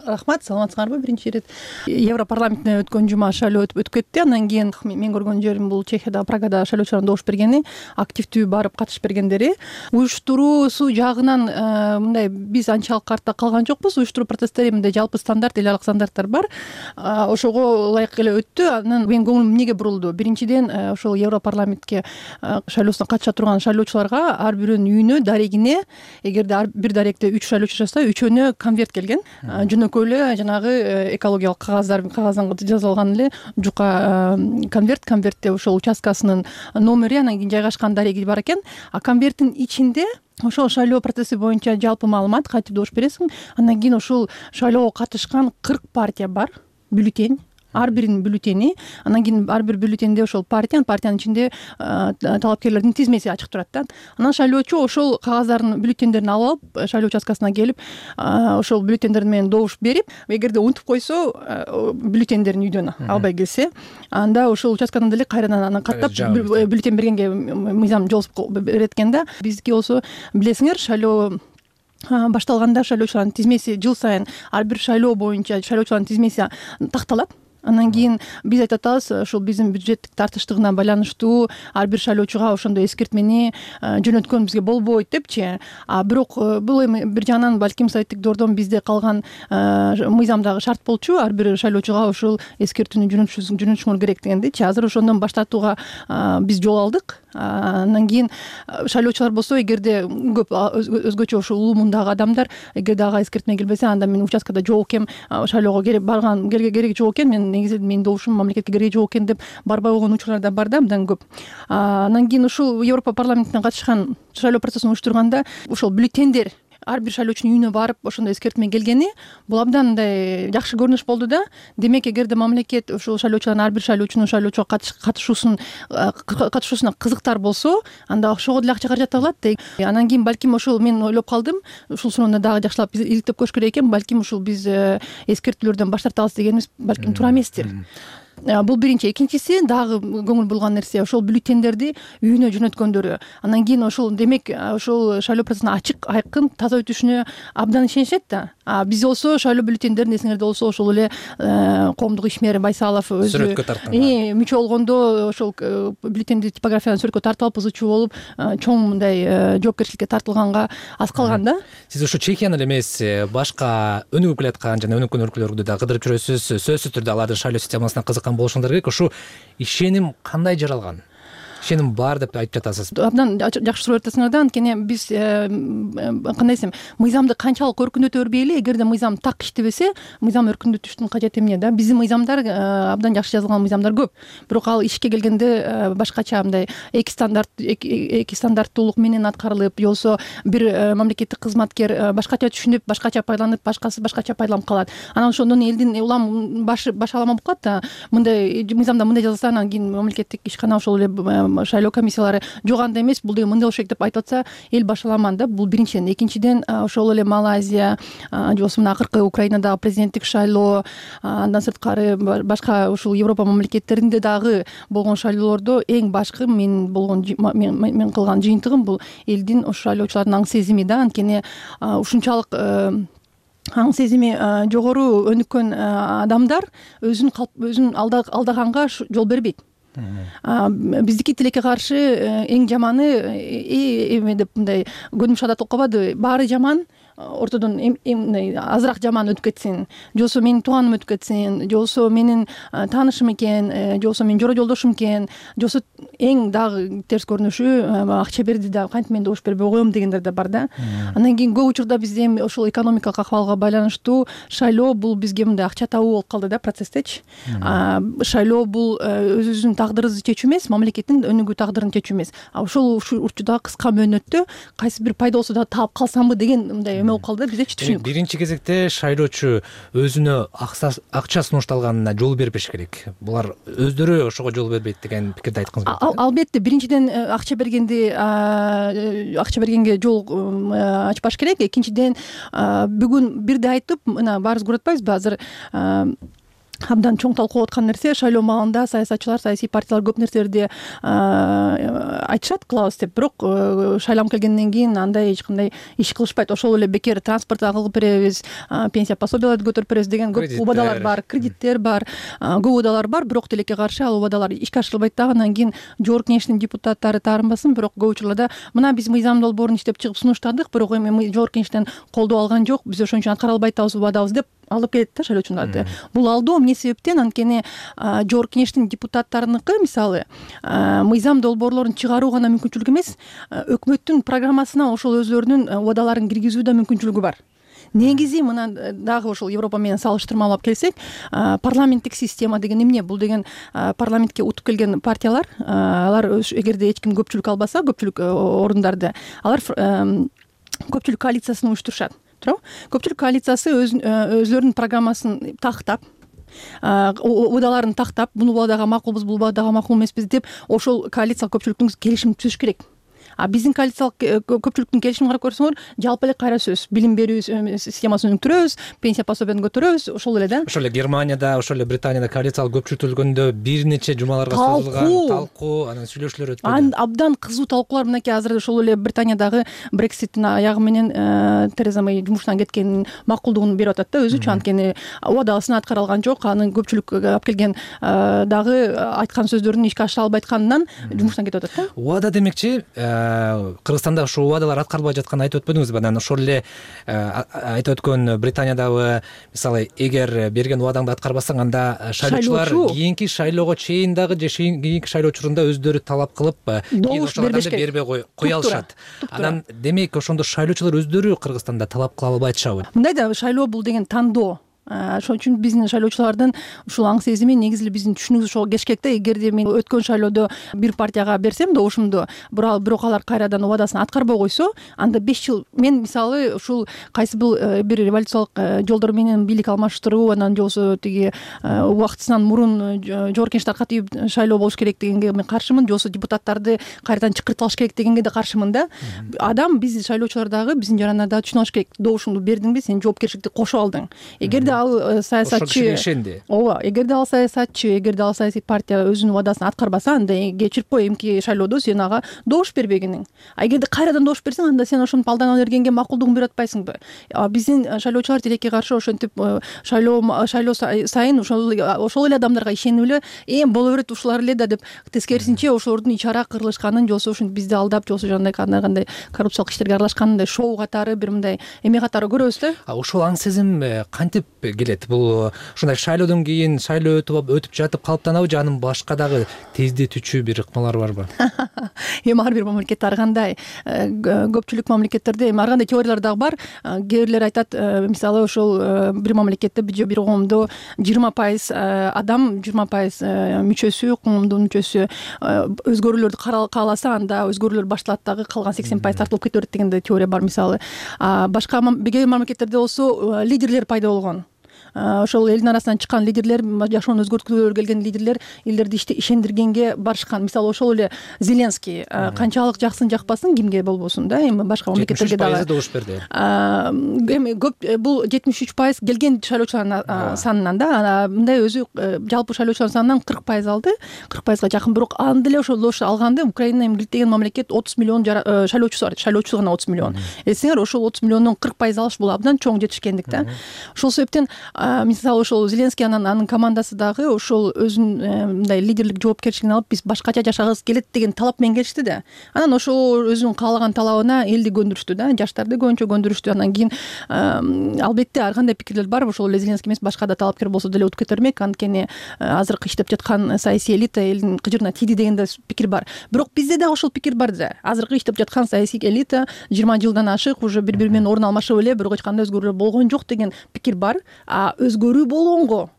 U: Рахмат, саламатсыңарбы? Биринчи ирет Европарламентте өткөн жума шайлоо өтүп кетти. Андан кийин мен көргөн жерим бул Чехияда, Прагада шайлоочулардын добуш бергени, активдүү барып катышып бергендери. Уюштуруусу жагынан мындай биз анчалык артта калган жокпуз. Уюштуруу процесстери мындай жалпы стандарт, эл аралык стандарттар бар. Ошого ылайык эле өттү. Анан менин көңүлүм эмнеге бурулду? Биринчиден, ошол Европарламентке шайлоосуна катыша турган шайлоочуларга ар бирөөнүн үйүнө, дарегине, эгерде ар бир даректе үч шайлоочу жашаса, үчөөнө конверт келген. Жөнөкөй эле жанагы экологиялык кагаздар кагаздан жазылган эле жука конверт, конвертте ошол участкасынын номери, анан кийин жайгашкан дареги бар экен. А конверттин ичинде ошол шайлоо процесси боюнча жалпы маалымат, кантип добуш бересиң, андан кийин ошол шайлоого катышкан кырк партия бар, бюллетень. ар биринин бюллетени. Анан кийин ар бир бюллетенде ошол партия, партиянын ичинде талапкерлердин тизмеси ачык турат да. Анан шайлоочу ошол кагаздардын бюллетендерин алып алып шайлоо участкасына келип ошол бюллетендер менен добуш берип, эгерде унутуп койсо бюллетендерин үйдөн албай келсе, анда ошол участкадан деле кайрадан анан каттап бюллетен бергенге мыйзам жол берет экен да. Биздики болсо билесиңер, шайлоо башталганда шайлоочулардын тизмеси жыл сайын ар бир шайлоо боюнча шайлоочулардын тизмеси такталат. Анан кийин биз айтып атабыз, ошол биздин бюджеттик тартыштыгына байланыштуу ар бир шайлоочуга ошондой эскертмени жөнөткөн бизге болбойт депчи. А бирок бул эми бир жагынан балким советтик дордон бизде калган мыйзамдагы шарт болчу, ар бир шайлоочуга ошол эскертүүнү жөнөтүшүңөр керек дегендичи. Азыр ошондон баш тартууга биз жол алдык. Андан кийин шайлоочулар болсо, эгерде көп өзгөчө ошол улуу мундагы адамдар, эгерде ага эскертме келбесе, анда мен участкада жок экем, шайлоого керек барган кереги жок экен, мен негизи менин добушум мамлекетке кереги жок экен деп барбай койгон учурлар да бар да, мындан көп. Андан кийин ушул Европа парламентине катышкан шайлоо процессин уюштурганда ошол бюллетендер ар бир шайлоочунун үйүнө барып ошондой эскертме келгени бул абдан мындай жакшы көрүнүш болду да. Демек, эгерде мамлекет ошол шайлоочулардын ар бир шайлоочунун шайлоочуга катышуусун катышуусуна кызыктар болсо, анда ошого деле акча каражат табылат да. Анан кийин балким ошол мен ойлоп калдым, ушул суроону дагы жакшылап иликтеп көрүш керек экен. Балким ушул биз эскертүүлөрдөн баш тартабыз дегенибиз балким туура эместир. Бул биринчи. Экинчиси дагы көңүл бурган нерсе ошол бюллетендерди үйүнө жөнөткөндөрү. Анан кийин ошол демек ошол шайлоо процессине ачык, айкын, таза өтүшүнө абдан ишенишет да. А биз болсо шайлоо бюллетендерин эсиңерде болсо ошол эле коомдук ишмер Байсалов өзү
A: сүрөткө тарткан.
U: Мүчө болгондо ошол бюллетенди типографиядан сүрөткө тартып алып ызычуу болуп чоң мындай жоопкерчиликке тартылганга аз калган да.
A: Сиз ушу Чехияны эле эмес, башка өнүгүп келаткан жана өнүккөн өлкөлөрдү да кыдырып жүрөсүз. Сөзсүз түрдө алардын шайлоо системасына кызыккан болушуңдар керек. Ушу ишеним кандай жаралган? Ишеним бар деп айтып жатасыз.
U: Абдан жакшы суроо айтасыңар да. Анткени биз кандай десем, мыйзамды канчалык өркүндөтө бербейли, эгерде мыйзам так иштебесе, мыйзам өркүндөтүштүн кажети эмне да? Биздин мыйзамдар абдан жакшы жазылган мыйзамдар көп. Бирок ал ишке келгенде башкача мындай эки стандарт эки стандарттуулук менен аткарылып, же болбосо бир мамлекеттик кызматкер башкача түшүнүп, башкача пайдаланып, башкасы башкача пайдаланып калат. Анан ошондон элдин улам башы баш алама болуп калат да. Мындай мыйзамда мындай жазылса, анан кийин мамлекеттик ишкана ошол эле шайлоо комиссиялары жок андай эмес, бул деген мындай болуш керек деп айтып атса, эл башаламан да. Бул биринчиден. Экинчиден, ошол эле Малайзия, же болбосо мына акыркы Украинадагы президенттик шайлоо, андан сырткары башка ушул Европа мамлекеттеринде дагы болгон шайлоолордо эң башкы мен болгон мен кылган жыйынтыгым бул элдин ошол шайлоочулардын аң сезими да. Анткени ушунчалык аң сезими жогору өнүккөн адамдар өзүн өзүн алдаганга жол бербейт. Биздики тилекке каршы эң жаманы эме деп мындай көнүмүш адат болуп калбады. Баары жаман, ортодон азыраак жаман өтүп кетсин, же болбосо менин тууганым өтүп кетсин, же болбосо менин таанышым экен, же болбосо менин жора жолдошум экен, же болбосо эң дагы терс көрүнүшү акча берди да кантип мен добуш бербей коем дегендер да бар да. Андан кийин көп учурда бизде эми ошол экономикалык акыбалга байланыштуу шайлоо бул бизге мындай акча табуу болуп калды да процесстечи. Шайлоо бул өзүбүздүн тагдырыбызды чечүү эмес, мамлекеттин өнүгүү тагдырын чечүү эмес. А ошол учурда кыска мөөнөттө кайсы бир пайда болсо да таап калсамбы деген мындай эме болуп калды да, биз эч түшүнүк.
A: Биринчи кезекте шайлоочу өзүнө акча сунушталганына жол бербеш керек. Булар өздөрү ошого жол бербейт деген пикирди айткыңыз келет.
U: Албетте, биринчиден акча бергенди акча бергенге жол ачпаш керек. Экинчиден, бүгүн бирде айтып, мына баарыбыз көрүп атпайбызбы, азыр абдан чоң талкуу аткан нерсе, шайлоо маалында саясатчылар, саясий партиялар көп нерселерди айтышат, кылабыз деп, бирок шайланып келгенден кийин андай эч кандай иш кылышпайт. Ошол эле бекер транспорт кылып беребиз, пенсия пособияларды көтөрүп беребиз деген көп убадалар бар, кредиттер бар, көп убадалар бар, бирок тилекке каршы ал убадалар ишке ашырылбайт дагы. Андан кийин жогорку кеңештин депутаттары таарынбасын, бирок көп учурларда мына биз мыйзам долбоорун иштеп чыгып сунуштадык, бирок эми жогорку кеңештен колдоо алган жок, биз ошон үчүн аткара албай атабыз, убадабыз деп алып келет да шайлоочуларды. Бул алдоо эмне себептен? Анткени жогорку кеңештин депутаттарыныкы мисалы мыйзам долбоорлорун чыгаруу гана мүмкүнчүлүк эмес, өкмөттүн программасына ошол өзлөрүнүн убадаларын киргизүү да мүмкүнчүлүгү бар. Негизи мына дагы ошол Европа менен салыштырмалап келсек, парламенттик система деген эмне? Бул деген парламентке утуп келген партиялар, алар эгерде эч ким көпчүлүк албаса, көпчүлүк орундарды, алар көпчүлүк коалициясын уюштурушат. Көпчүлүк коалициясы өзлөрүнүн программасын тактап, убадаларын тактап, бул убадага макулбуз, бул убадага макул эмеспиз деп ошол коалициялык көпчүлүктүн келишимин түзүш керек. А биздин коалициялык көпчүлүктүн келишимин карап көрсөңөр, жалпы эле кайра сөз. Билим берүү системасын өнүктүрөбүз, пенсия пособияны көтөрөбүз, ошол эле да.
A: Ошол эле Германияда, ошол эле Британияда коалициялык көпчүлүктөлгөндө бир нече жумаларга созулган талкуу, анан сүйлөшүүлөр өтпөдү.
U: Абдан кызуу талкуулар мынакей азыр ошол эле Британиядагы Брекситтин аягы менен Тереза Мэй жумуштан кеткенин макулдугун берип атат да өзүчү, анткени убадасына аткара алган жок, анын көпчүлүк алып келген дагы айткан сөздөрүн ишке ашыра албай атканынан жумуштан кетип атат да.
A: Убада демекчи, Кыргызстанда ушул убадалар аткарылбай жатканын айтып өтпөдүңүзбү? Анан ошол эле айтып өткөн Британиядагы мисалы, эгер берген убадаңды аткарбасаң, анда шайлоочулар кийинки шайлоого чейин дагы же кийинки шайлоо учурунда өздөрү талап кылып, кийин ошол адамды бербей кое алышат. Анан демек ошондо шайлоочулар өздөрү Кыргызстанда талап кыла албай атышабы?
U: Мындай да, шайлоо бул деген тандоо. Ошон үчүн биздин шайлоочулардын ушул аң сезими негизи эле биздин түшүнүгүбүз ошого кеш керек да. Эгерде мен өткөн шайлоодо бир партияга берсем добушумду, бирок алар кайрадан убадасын аткарбай койсо, анда беш жыл мен мисалы ушул кайсы бир революциялык жолдор менен бийлик алмаштыруу, анан же болбосо тиги убактысынан мурун жогорку кеңеш таркатып шайлоо болуш керек дегенге мен каршымын, же болбосо депутаттарды кайрадан чакыртып алыш керек дегенге да каршымын да. Адам, биз шайлоочулар дагы, биздин жарандар дагы түшүнүп алыш керек. Добушуңду бердиңби, сен жоопкерчиликти кошуп алдың. Эгерде ал саясатчы, ооба, эгерде ал саясатчы, эгерде ал саясий партия өзүнүн убадасын аткарбаса, анда кечирип кой, эмки шайлоодо сен ага добуш бербегениң. А эгерде кайрадан добуш берсең, анда сен ошонтип алдана бергенге макулдугун берип атпайсыңбы? Биздин шайлоочулар тилекке каршы ошентип шайлоо шайлоо сайын ошол ошол эле адамдарга ишенип эле, эм боло берет ушулар эле да деп, тескерисинче ошолордун ичара кырылышканын, же болбосо ушинтип бизди алдап, же болбосо жандай кандай кандай коррупциялык иштерге аралашканын шоу катары, бир мындай эме катары көрөбүз да.
A: А ошол аң сезим кантип келет? Бул ушундай шайлоодон кийин шайлоо өтүп өтүп жатып калыптанабы, же анын башка дагы тездетүүчү бир ыкмалары барбы?
U: Эми ар бир мамлекетте ар кандай, көпчүлүк мамлекеттерде эми ар кандай теориялар дагы бар. Кээ бирлер айтат, мисалы ошол бир мамлекетте же бир коомдо жыйырма пайыз адам, жыйырма пайыз мүчөсү, коомдун мүчөсү өзгөрүүлөрдү кааласа, анда өзгөрүүлөр башталат, дагы калган сексен пайыз тартылып кете берет деген теория бар мисалы. Башка кээ бир мамлекеттерде болсо лидерлер пайда болгон. Ошол элдин арасынан чыккан лидерлер, жашоону өзгөрткүлөрү келген лидерлер элдерди ишендиргенге барышкан. Мисалы ошол эле Зеленский канчалык жаксын жакпасын, кимге болбосун да, эми башка мамлекеттерге дагы
A: добуш берди.
U: Эми көп бул жетимиш үч пайыз келген шайлоочулардын санынан да, мындай өзү жалпы шайлоочулардын санынан кырк пайыз алды, кырк пайызга жакын. Бирок анда эле ошол алганда Украина эми деген мамлекет отуз миллион шайлоочусу бар, шайлоочусу гана отуз миллион. Эсиңер, ошол отуз миллиондон кырк пайыз алыш бул абдан чоң жетишкендик да. Ошол себептен мисалы ошол Зеленский анан анын командасы дагы ошол өзүнүн мындай лидерлик жоопкерчилигин алып, биз башкача жашагыбыз келет деген талап менен келишти да. Анан ошол өзүнүн каалаган талабына элди көндүрүштү да, жаштарды көбүнчө көндүрүштү. Анан кийин албетте ар кандай пикирлер бар, ошол эле Зеленский эмес, башка да талапкер болсо деле утуп кете бермек, анткени азыркы иштеп жаткан саясий элита элдин кыжырына тийди деген да пикир бар. Бирок бизде да ошол пикир бар да. Азыркы иштеп жаткан саясий элита жыйырма жылдан ашык уже бири бири менен орун алмашып эле, бирок эч кандай өзгөрүүлөр болгон жок деген пикир бар. А өзгөрүү болгонго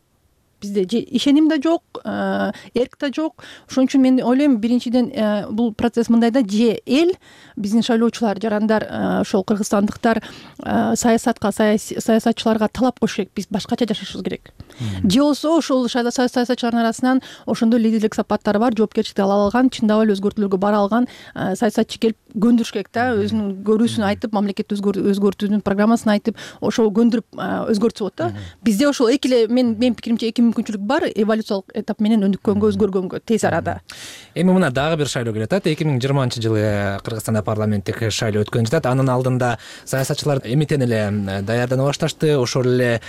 U: бизде же ишеним да жок, эрк да жок. Ошон үчүн мен ойлойм, биринчиден бул процесс мындай да, же эл, биздин шайлоочулар, жарандар, ошол кыргызстандыктар саясатка, саясатчыларга талап коюш керек, биз башкача жашашыбыз керек. Же болсо ошол саясатчылардын арасынан ошондой лидерлик сапаттары бар, жоопкерчиликти ала алган, чындап эле өзгөртүүлөргө бара алган саясатчы келип көндүрүш керек да, өзүнүн көрүүсүн айтып, мамлекетти өзгөртүүнүн программасын айтып, ошол көндүрүп өзгөртсө болот да. Бизде ошол эки эле, мен менин пикиримче эки мүмкүнчүлүк бар, эволюциялык этап менен өнүккөнгө, өзгөргөнгө тез арада.
A: Эми мына дагы бир шайлоо келе атат. эки миң жыйырманчы жылы Кыргызстанда парламенттик шайлоо өткөн жатат. Анын алдында саясатчылар эмитен эле даярдана башташты, ошол эле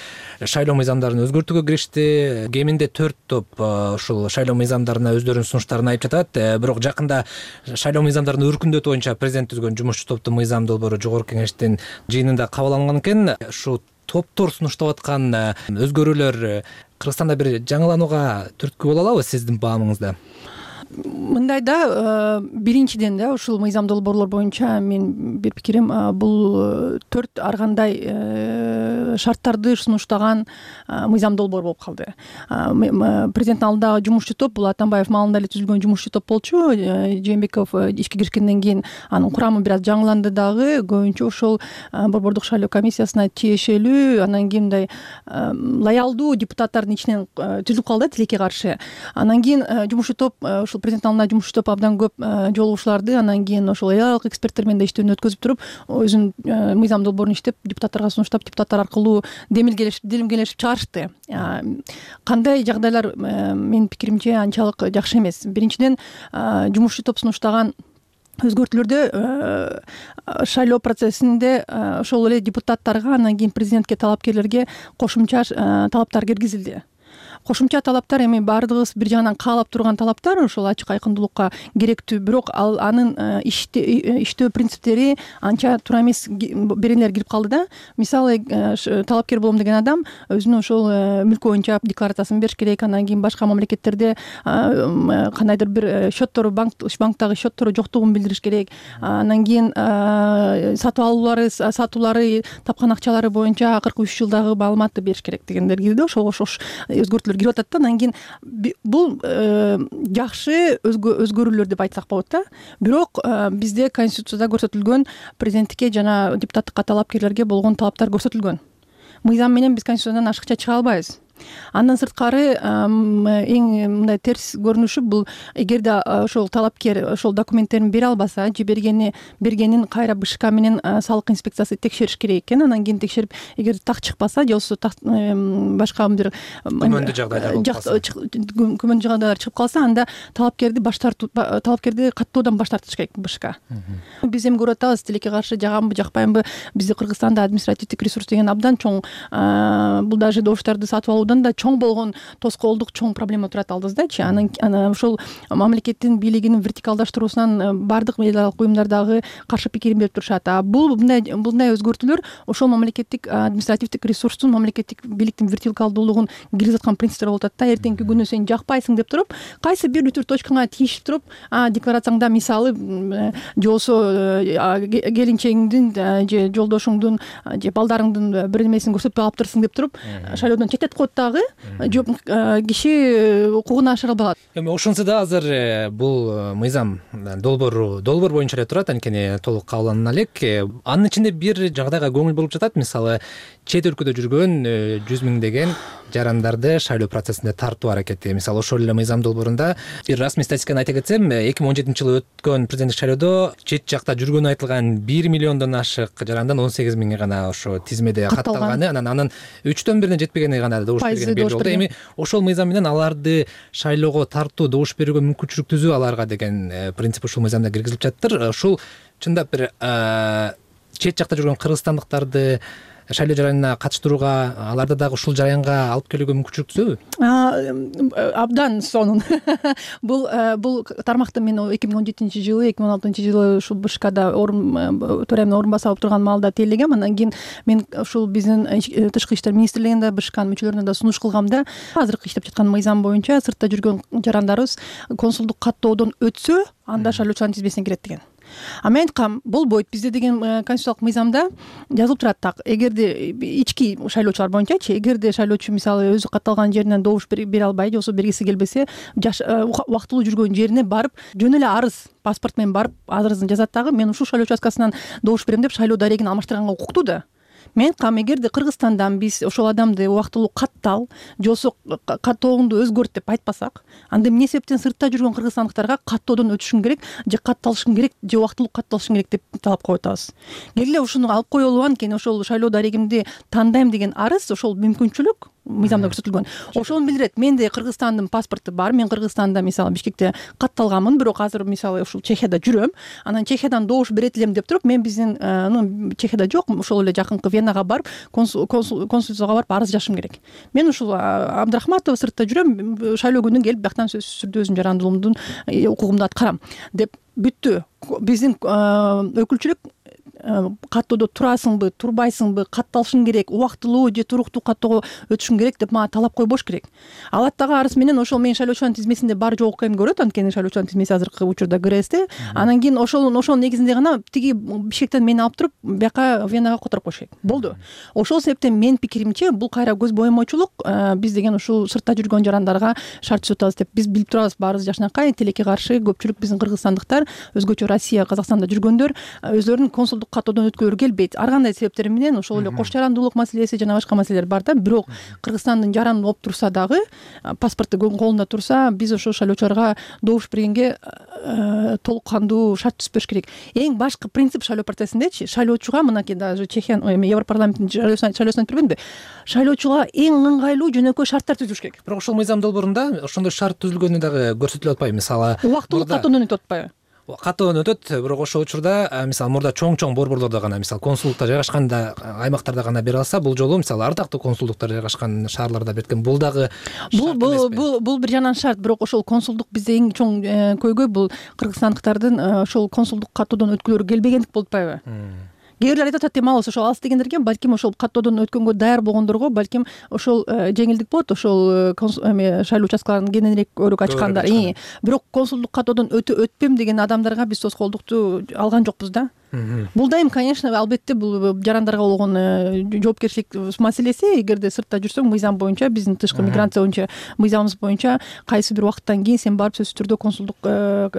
A: шайлоо мыйзамдарын өзгөртүүгө киришти. Кеминде төрт топ ушул шайлоо мыйзамдарына өздөрүнүн сунуштарын айтып жатат. Бирок жакында шайлоо мыйзамдарын өркүндөтүү боюнча президент түзгөн жумушчу топтун мыйзам долбоору жогорку кеңештин жыйынында кабыл алынган экен. Ушу топтор сунуштап аткан өзгөрүүлөр Кыргызстанда бир жаңыланууга түрткү боло алабы сиздин баамыңызда?
U: мындай да биринчиден да ушул мыйзам долбоорлор боюнча мен бир пикирим бул төрт ар кандай шарттарды сунуштаган мыйзам долбоор болуп калды. Президенттин алдындагы жумушчу топ бул Атамбаев маалында эле түзүлгөн жумушчу топ болчу. Жээнбеков ишке киришкенден кийин анын курамы бир аз жаңыланды дагы. Көбүнчө ошол борбордук шайлоо комиссиясына тиешелүү, анан кийин мындай лоялдуу депутаттардын ичинен түзүлүп калды тилекке каршы. Анан кийин жумушчу топ ушул президенттин алдында жумушчу топ абдан көп жолугушууларды, анан кийин ошол эларалык эксперттер менен да иштөөнү өткөзүп туруп, өзүнүн мыйзам долбоорун иштеп, депутаттарга сунуштап, депутаттар аркылуу демилгелешип, делимгелешип чыгарышты. Кандай жагдайлар менин пикиримче анчалык жакшы эмес. Биринчиден, жумушчу топ сунуштаган өзгөртүүлөрдө шайлоо процессинде ошол эле депутаттарга, анан кийин президентке, талапкерлерге кошумча талаптар киргизилди. Кошумча талаптар эми баардыгыбыз бир жагынан каалап турган талаптар, ошол ачык айкындуулукка керектүү, бирок ал анын иштөө принциптери анча туура эмес беренелер кирип калды да. Мисалы, талапкер болом деген адам өзүнүн ошол мүлкү боюнча декларациясын бериш керек, анан кийин башка мамлекеттерде кандайдыр бир счеттору, банктагы счеттору жоктугун билдириш керек. Анан кийин сатып алуулары, сатуулары, тапкан акчалары боюнча акыркы үч жылдагы маалыматты бериш керек дегендер кирди. Ошол ошол өзгөртүүлөр кирип атат да. Анан кийин бул жакшы өзгөрүүлөр деп айтсак болот да. Бирок бизде Конституцияда көрсөтүлгөн президенттикке жана депутаттыкка талапкерлерге болгон талаптар көрсөтүлгөн. Мыйзам менен биз Конституциядан ашыкча чыга албайбыз. Андан сырткары эң мындай терс көрүнүшү бул, эгерде ошол талапкер ошол документтерин бере албаса, же бергени бергенин кайра БШК менен салык инспекциясы текшериш керек экен. Анан кийин текшерип, эгер так чыкпаса, же болбосо башка бир
A: күмөндүү жагдайлар болуп калса,
U: күмөндүү жагдайлар чыгып калса, анда талапкерди баш тартуу, талапкерди каттоодан баш тартыш керек БШК. Биз эми көрүп атабыз, тилекке каршы жаганбы, жакпайбы, бизде Кыргызстанда административдик ресурс деген абдан чоң. Бул даже добуштарды сатып алуу да чоң болгон тоскоолдук чоң проблема турат алдыбыздачы. Анан ошол мамлекеттин бийлигинин вертикалдаштыруусунан баардык эларалык уюмдар дагы каршы пикирин берип турушат. А бул мындай мындай өзгөртүүлөр ошол мамлекеттик административдик ресурстун, мамлекеттик бийликтин вертикалдуулугун киргизаткан принциптер болуп атат да. Эртеңки күнү сен жакпайсың деп туруп, кайсы бир бүтүр точкаңа тийишип туруп, декларацияңда мисалы, же болбосо келинчегиңдин же жолдошуңдун же балдарыңдын бир нерсесин көрсөтпөй алыптырсың деп туруп, шайлоодон четтетип коет дагы. Жок, киши укугун ашыра албагат.
A: Эми ошонсо да азыр бул мыйзам долбоору долбоор боюнча эле турат, анткени толук кабылданына элек. Анын ичинде бир жагдайга көңүл болуп жатат. Мисалы, чет өлкөдө жүргөн жүз миңдеген жарандарды шайлоо процессинде тартуу аракети. Мисалы, ошол эле мыйзам долбоорунда бир расмий статистиканы айта кетсем, эки миң он жетинчи жылы өткөн президенттик шайлоодо чет жакта жүргөнү айтылган бир миллиондон ашык жарандан он сегиз миңи гана ошо тизмеде катталганы, анан анын үчтөн бирине жетпегени гана добуш берген белгилүү болду. Эми ошол мыйзам менен аларды шайлоого тартуу, добуш берүүгө мүмкүнчүлүк түзүү аларга деген принцип ушул мыйзамда киргизилип жатыр. Ушул чындап бир чет жакта жүргөн кыргызстандыктарды шайлоо жаранына катыштырууга, аларды дагы ушул жараянга алып келүүгө мүмкүнчүлүк түзөбү?
U: Абдан сонун. Бул бул тармакты мен эки миң он жетинчи жылы, эки миң он алтынчы жылы ушул БШКда төрайымдын орун басып алып турган маалда тейлегем. Анан кийин мен ушул биздин тышкы иштер министрлигинде БШКнын мүчөлөрүнө да сунуш кылгам да. Азыркы иштеп жаткан мыйзам боюнча сыртта жүргөн жарандарыбыз консулдук каттоодон өтсө, анда шайлоочулардын тизмесине кирет деген. А мен айткам, болбойт. Бизде деген конституциялык мыйзамда жазылып турат так. Эгерде ички шайлоочулар боюнчачы, эгерде шайлоочу мисалы өзү катталган жеринен добуш бере албай, же болбосо бергиси келбесе, убактылуу жүргөн жерине барып, жөн эле арыз, паспорт менен барып, арызын жазат дагы, мен ушул шайлоо участкасынан добуш берем деп шайлоо дарегин алмаштырганга укуктуу да. Мен айткам, эгерде Кыргызстандан биз ошол адамды убактылуу каттал, же болбосо каттооңду өзгөрт деп айтпасак, анда эмне себептен сыртта жүргөн кыргызстандыктарга каттоодон өтүшүң керек, же катталышың керек, же убактылуу катталышың керек деп талап коюп атабыз. Келе ушуну алып коелу, анткени ошол шайлоо дарегимди тандайм деген арыз, ошол мүмкүнчүлүк мыйзамда көрсөтүлгөн. Ошону билдирет. Менде Кыргызстандын паспорту бар. Мен Кыргызстанда мисалы Бишкекте катталганмын, бирок азыр мисалы ушул Чехияда жүрөм. Анан Чехиядан добуш берет элем деп туруп, мен биздин, ну, Чехияда жок, ошол эле жакынкы Венага барып, консулцияга барып арыз жазышым керек. Мен ушул Абдрахматова сыртта жүрөм, шайлоо күнү келип бактан сөзсүз түрдө өзүмдүн жарандуулугумдун укугумду аткарам деп бүттү. Биздин өкүлчүлүк каттоодо турасыңбы, турбайсыңбы, катталышың керек, убактылуу же туруктуу каттоого өтүшүң керек деп мага талап койбош керек. Алат дагы арыз менен ошол менин шайлоочулардын тизмесинде бар жок экенин көрөт, анткени шайлоочулардын тизмеси азыркы учурда ГРСте. Анан кийин ошол ошол негизинде гана тиги Бишкектен мени алып туруп бияка Венага которуп коюш керек. Болду. Ошол себептен менин пикиримче бул кайра көз боемочулук. Биз деген ушул сыртта жүргөн жарандарга шарт түзөтөбүз деп биз билип турабыз, баарыбыз жакшынакай тилекке каршы көпчүлүк биздин кыргызстандыктар, өзгөчө Россия, Казакстанда жүргөндөр өзлөрүнүн консулдук каттоодон өткөлөрү келбейт. Ар кандай себептер менен ошол эле кош жарандуулук маселеси жана башка маселелер бар да. Бирок Кыргызстандын жараны болуп турса дагы, паспорту колунда турса, биз ошол шайлоочуларга добуш бергенге толук кандуу шарт түзбөш керек. Эң башкы принцип шайлоо процессиндечи, шайлоочуга мынакей даже Чехия, Европарламенттин шайлоосуна айтып бербедимби? Шайлоочуга эң ыңгайлуу жөнөкөй шарттар түзүш керек.
A: Бирок ошол мыйзам долбоорунда ошондой шарт түзүлгөнү дагы көрсөтүлүп атпайбы? Мисалы,
U: убактылуу каттоодон өтүп атпайбы?
A: Каттоодон өтөт, бирок ошол учурда мисалы мурда чоң-чоң борборлордо гана, мисалы консулдуктар жайгашканда аймактарда гана бере алса, бул жолу мисалы ардактуу консулдуктар жайгашкан шаарларда берген. Бул дагы
U: бул бул бул бир жагынан шарт, бирок ошол консулдук бизде эң чоң көйгөй бул кыргызстандыктардын ошол консулдук каттоодон өткөлөрү келбегендик болуп атпайбы? Кээ бирлер айтып атат, эмалыс ошол алыс дегендерге, балким ошол каттоодон өткөнгө даяр болгондорго балким ошол жеңилдик болот, ошол шайлоо участкаларын кененирээк өрүк ачканда. Бирок консулдук каттоодон өтпөм деген адамдарга биз тоскоолдукту алган жокпуз да. Бул дайым, конечно, албетте бул жарандарга болгон жоопкерчилик маселеси. Эгерде сыртта жүрсөң, мыйзам боюнча, биздин тышкы миграция боюнча мыйзамыбыз боюнча кайсы бир убакыттан кийин сен барып сөзсүз түрдө консулдук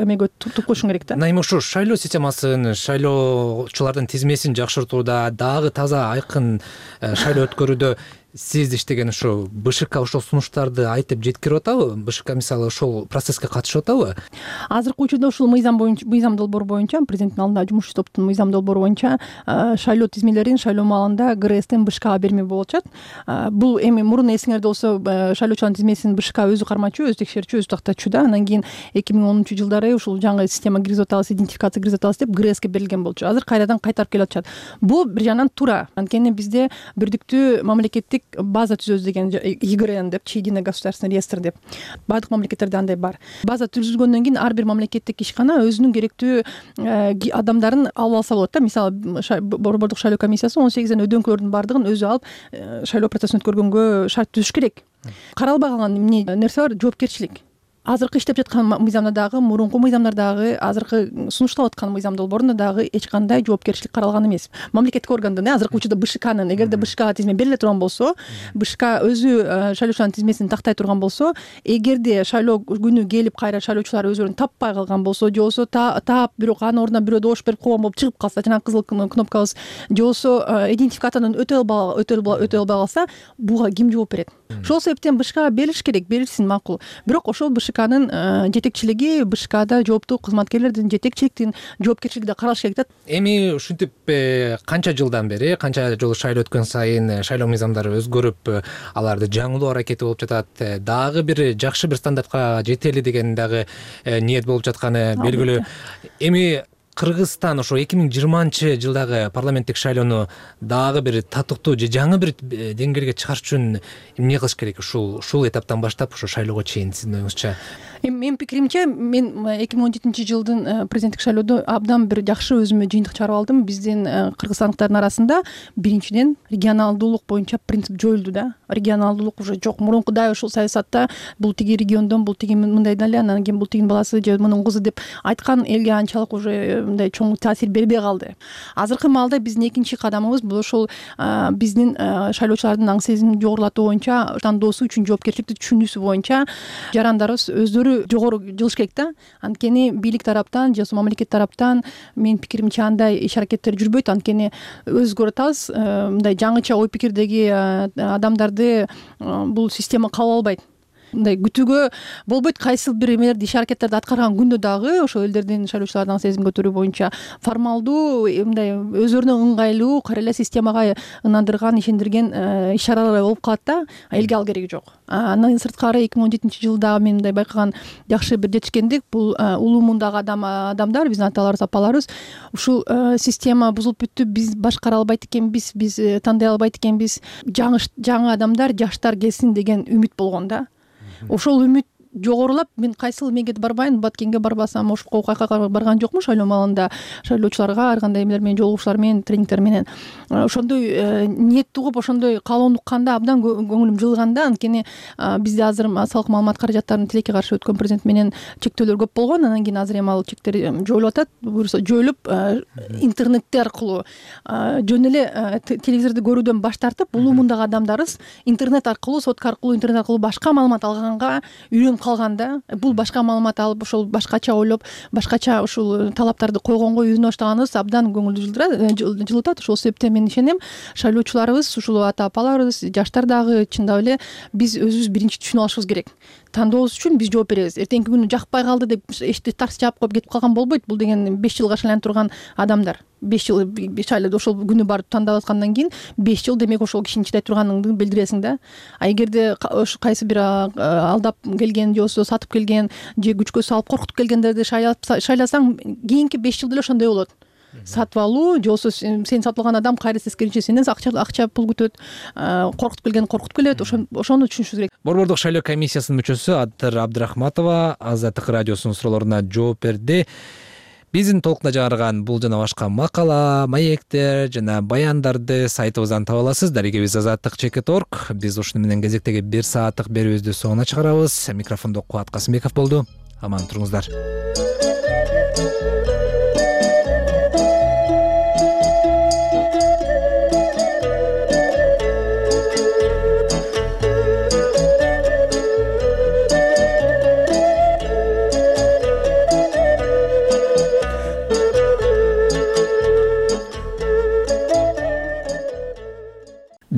U: эмеге туруп коюшуң керек да.
A: Мына эми ушу шайлоо системасын, шайлоочулардын тизмесин жакшыртууда, дагы таза айкын шайлоо өткөрүүдө сиз иштеген ушу БШК ошол сунуштарды айтып жеткирип атабы? БШК мисалы ошол процесске катышып атабы?
U: Азыркы учурда ушул мыйзам боюнча, мыйзам долбоору боюнча, президенттин алдында жумушчу топтун мыйзам долбоору боюнча шайлоо тизмелерин шайлоо маалында ГРСтен БШКга берме болуп атат. Бул эми мурун эсиңерде болсо шайлоочулардын тизмесин БШК өзү кармачу, өзү текшерчү, өзү тактачу да. Анан кийин эки миң онунчу жылдары ушул жаңы система киргизип атабыз, идентификация киргизип атабыз деп ГРСке берилген болчу. Азыр кайрадан кайтарып келип атышат. Бул бир жагынан туура. Анткени бизде бирдиктүү мамлекеттик база түзөбүз деген ИГРН деп, Единый государственный реестр деп. Баардык мамлекеттерде андай бар. База түзүлгөндөн кийин ар бир мамлекеттик ишкана өзүнүн керектүү адамдарын алып алса болот да. Мисалы, борбордук шайлоо комиссиясы он сегизден өдөңкөлөрдүн баардыгын өзү алып шайлоо процессин өткөргөнгө шарт түзүш керек. Каралбай калган эмне нерсе бар? Жоопкерчилик. Азыркы иштеп жаткан мыйзамда дагы, мурунку мыйзамдардагы, азыркы сунушталып аткан мыйзам долбоорунда дагы эч кандай жоопкерчилик каралган эмес. Мамлекеттик органдын азыркы учурда БШКнын, эгерде БШКга тизме бериле турган болсо, БШК өзү шайлоочулардын тизмесин тактай турган болсо, эгерде шайлоо күнү келип кайра шайлоочулар өзүлөрүн таппай калган болсо, же болбосо таап, бирок анын ордуна бирөө добуш берип койгон болуп чыгып калса, жана кызыл кнопкабыз, же болбосо идентификациядан өтө албай өтө албай калса, буга ким жооп берет? Ошол себептен БШКга берилиш керек, берилсин, макул. Бирок ошол БШКнын жетекчилиги, БШКда жооптуу кызматкерлердин жетекчиликтин жоопкерчилиги да каралыш керек да.
A: Эми ушинтип канча жылдан бери, канча жолу шайлоо өткөн сайын шайлоо мыйзамдары өзгөрүп, аларды жаңылоо аракети болуп жатат. Дагы бир жакшы бир стандартка жетели деген дагы ниет болуп жатканы белгилүү. Эми Кыргызстан ошо эки миң жыйырманчы жылдагы парламенттик шайлоону дагы бир татыктуу же жаңы бир деңгээлге чыгарыш үчүн эмне кылыш керек? Ушул ушул этаптан баштап ошо шайлоого чейин сиздин оюңузча?
U: Эми менин пикиримче, мен эки миң он жетинчи жылдын президенттик шайлоодо абдан бир жакшы өзүмө жыйынтык чыгарып алдым. Биздин кыргызстандыктардын арасында биринчиден регионалдуулук боюнча принцип жоюлду да. Регионалдуулук уже жок. Мурункудай ушул саясатта бул тиги региондон, бул тиги мындай эле, анан кийин бул тигинин баласы же мунун кызы деп айткан элге анчалык уже мындай чоң таасир бербей калды. Азыркы маалда биздин экинчи кадамыбыз бул ошол биздин шайлоочулардын аң сезимин жогорулатуу боюнча, тандоосу үчүн жоопкерчиликти түшүнүүсү боюнча жарандарыбыз өздөрү жогору жылыш керек да. Анткени бийлик тараптан же мамлекет тараптан менин пикиримче андай иш аракеттер жүрбөйт. Анткени өзү көрүп атабыз, мындай жаңыча ой пикирдеги адамдарды бул система кабыл албайт. Мындай күтүүгө болбойт. Кайсы бир эмелерди, иш аракеттерди аткарган күндө дагы ошол элдердин шайлоочулардын сезим көтөрүү боюнча формалдуу, мындай өзүлөрүнө ыңгайлуу, кайра эле системага ынандырган, ишендирген иш чаралар болуп калат да. Элге ал кереги жок. Андан сырткары эки миң он жетинчи жылда мен мындай байкаган жакшы бир жетишкендик, бул улуумундагы адам адамдар, биздин аталарыбыз, апаларыбыз ушул система бузулуп бүттү, биз башкара албайт экенбиз, биз тандай албайт экенбиз, жаңы жаңы адамдар, жаштар келсин деген үмүт болгон да. Ошол үмүт жогорулап мен кайсыл эмеге барбайын, Баткенге барбасам, ошко кайка барган жокмун шайлоо маалында шайлоочуларга ар кандай эмелер менен, жолугушуулар менен, тренингдер менен. Ошондой ниет угуп, ошондой каалоону укканда абдан көңүлүм жылганда, анткени бизде азыр салык маалымат каражаттарынын тилекке каршы өткөн президент менен чектөөлөр көп болгон. Анан кийин азыр эми ал чектер жоюлуп атат. Буюрса жоюлуп интернетте аркылуу жөн эле телевизорду көрүүдөн баш тартып, улуумундагы адамдарыбыз интернет аркылуу, сотка аркылуу, интернет аркылуу башка маалымат алганга үйрөнүп калганда, бул башка маалымат алып, ошол башкача ойлоп, башкача ушул талаптарды койгонго үйрөнө баштаганыбыз абдан көңүлдү жылытат. Ошол себептен мен ишенем, шайлоочуларыбыз, ушул ата апаларыбыз, жаштар дагы чындап эле биз өзүбүз биринчи түшүнүп алышыбыз керек. Тандообуз үчүн биз жооп беребиз. Эртеңки күнү жакпай калды деп эшикти тарс жаап коюп кетип калган болбойт. Бул деген беш жылга шайланып турган адамдар. беш жыл шайлоодо ошол күнү барып тандап аткандан кийин беш жыл демек ошол кишини чыдай турганыңды билдиресиң да. А эгерде кайсы бир алдап келген же болбосо сатып келген же күчкө салып коркутуп келгендерди шайласаң, кийинки беш жыл деле ошондой болот. Сатып алуу же болбосо сени сатып алган адам кайра тескерисинче сенден акча акча пул күтөт, коркутуп келген коркутуп келет. Ошону түшүнүшүбүз керек.
A: Борбордук шайлоо комиссиясынын мүчөсү Адыр Абдрахматова Азаттык радиосунун суроолоруна жооп берди. Биздин толкунда жаңырган бул жана башка макала, маектер жана баяндарды сайтыбыздан таба аласыз. Дарегебиз азаттык чекит точка орг. Биз ушуну менен кезектеги бир сааттык берүүбүздү соңуна чыгарабыз. Микрофондо Кубат Касымбеков болду. Аман туруңуздар.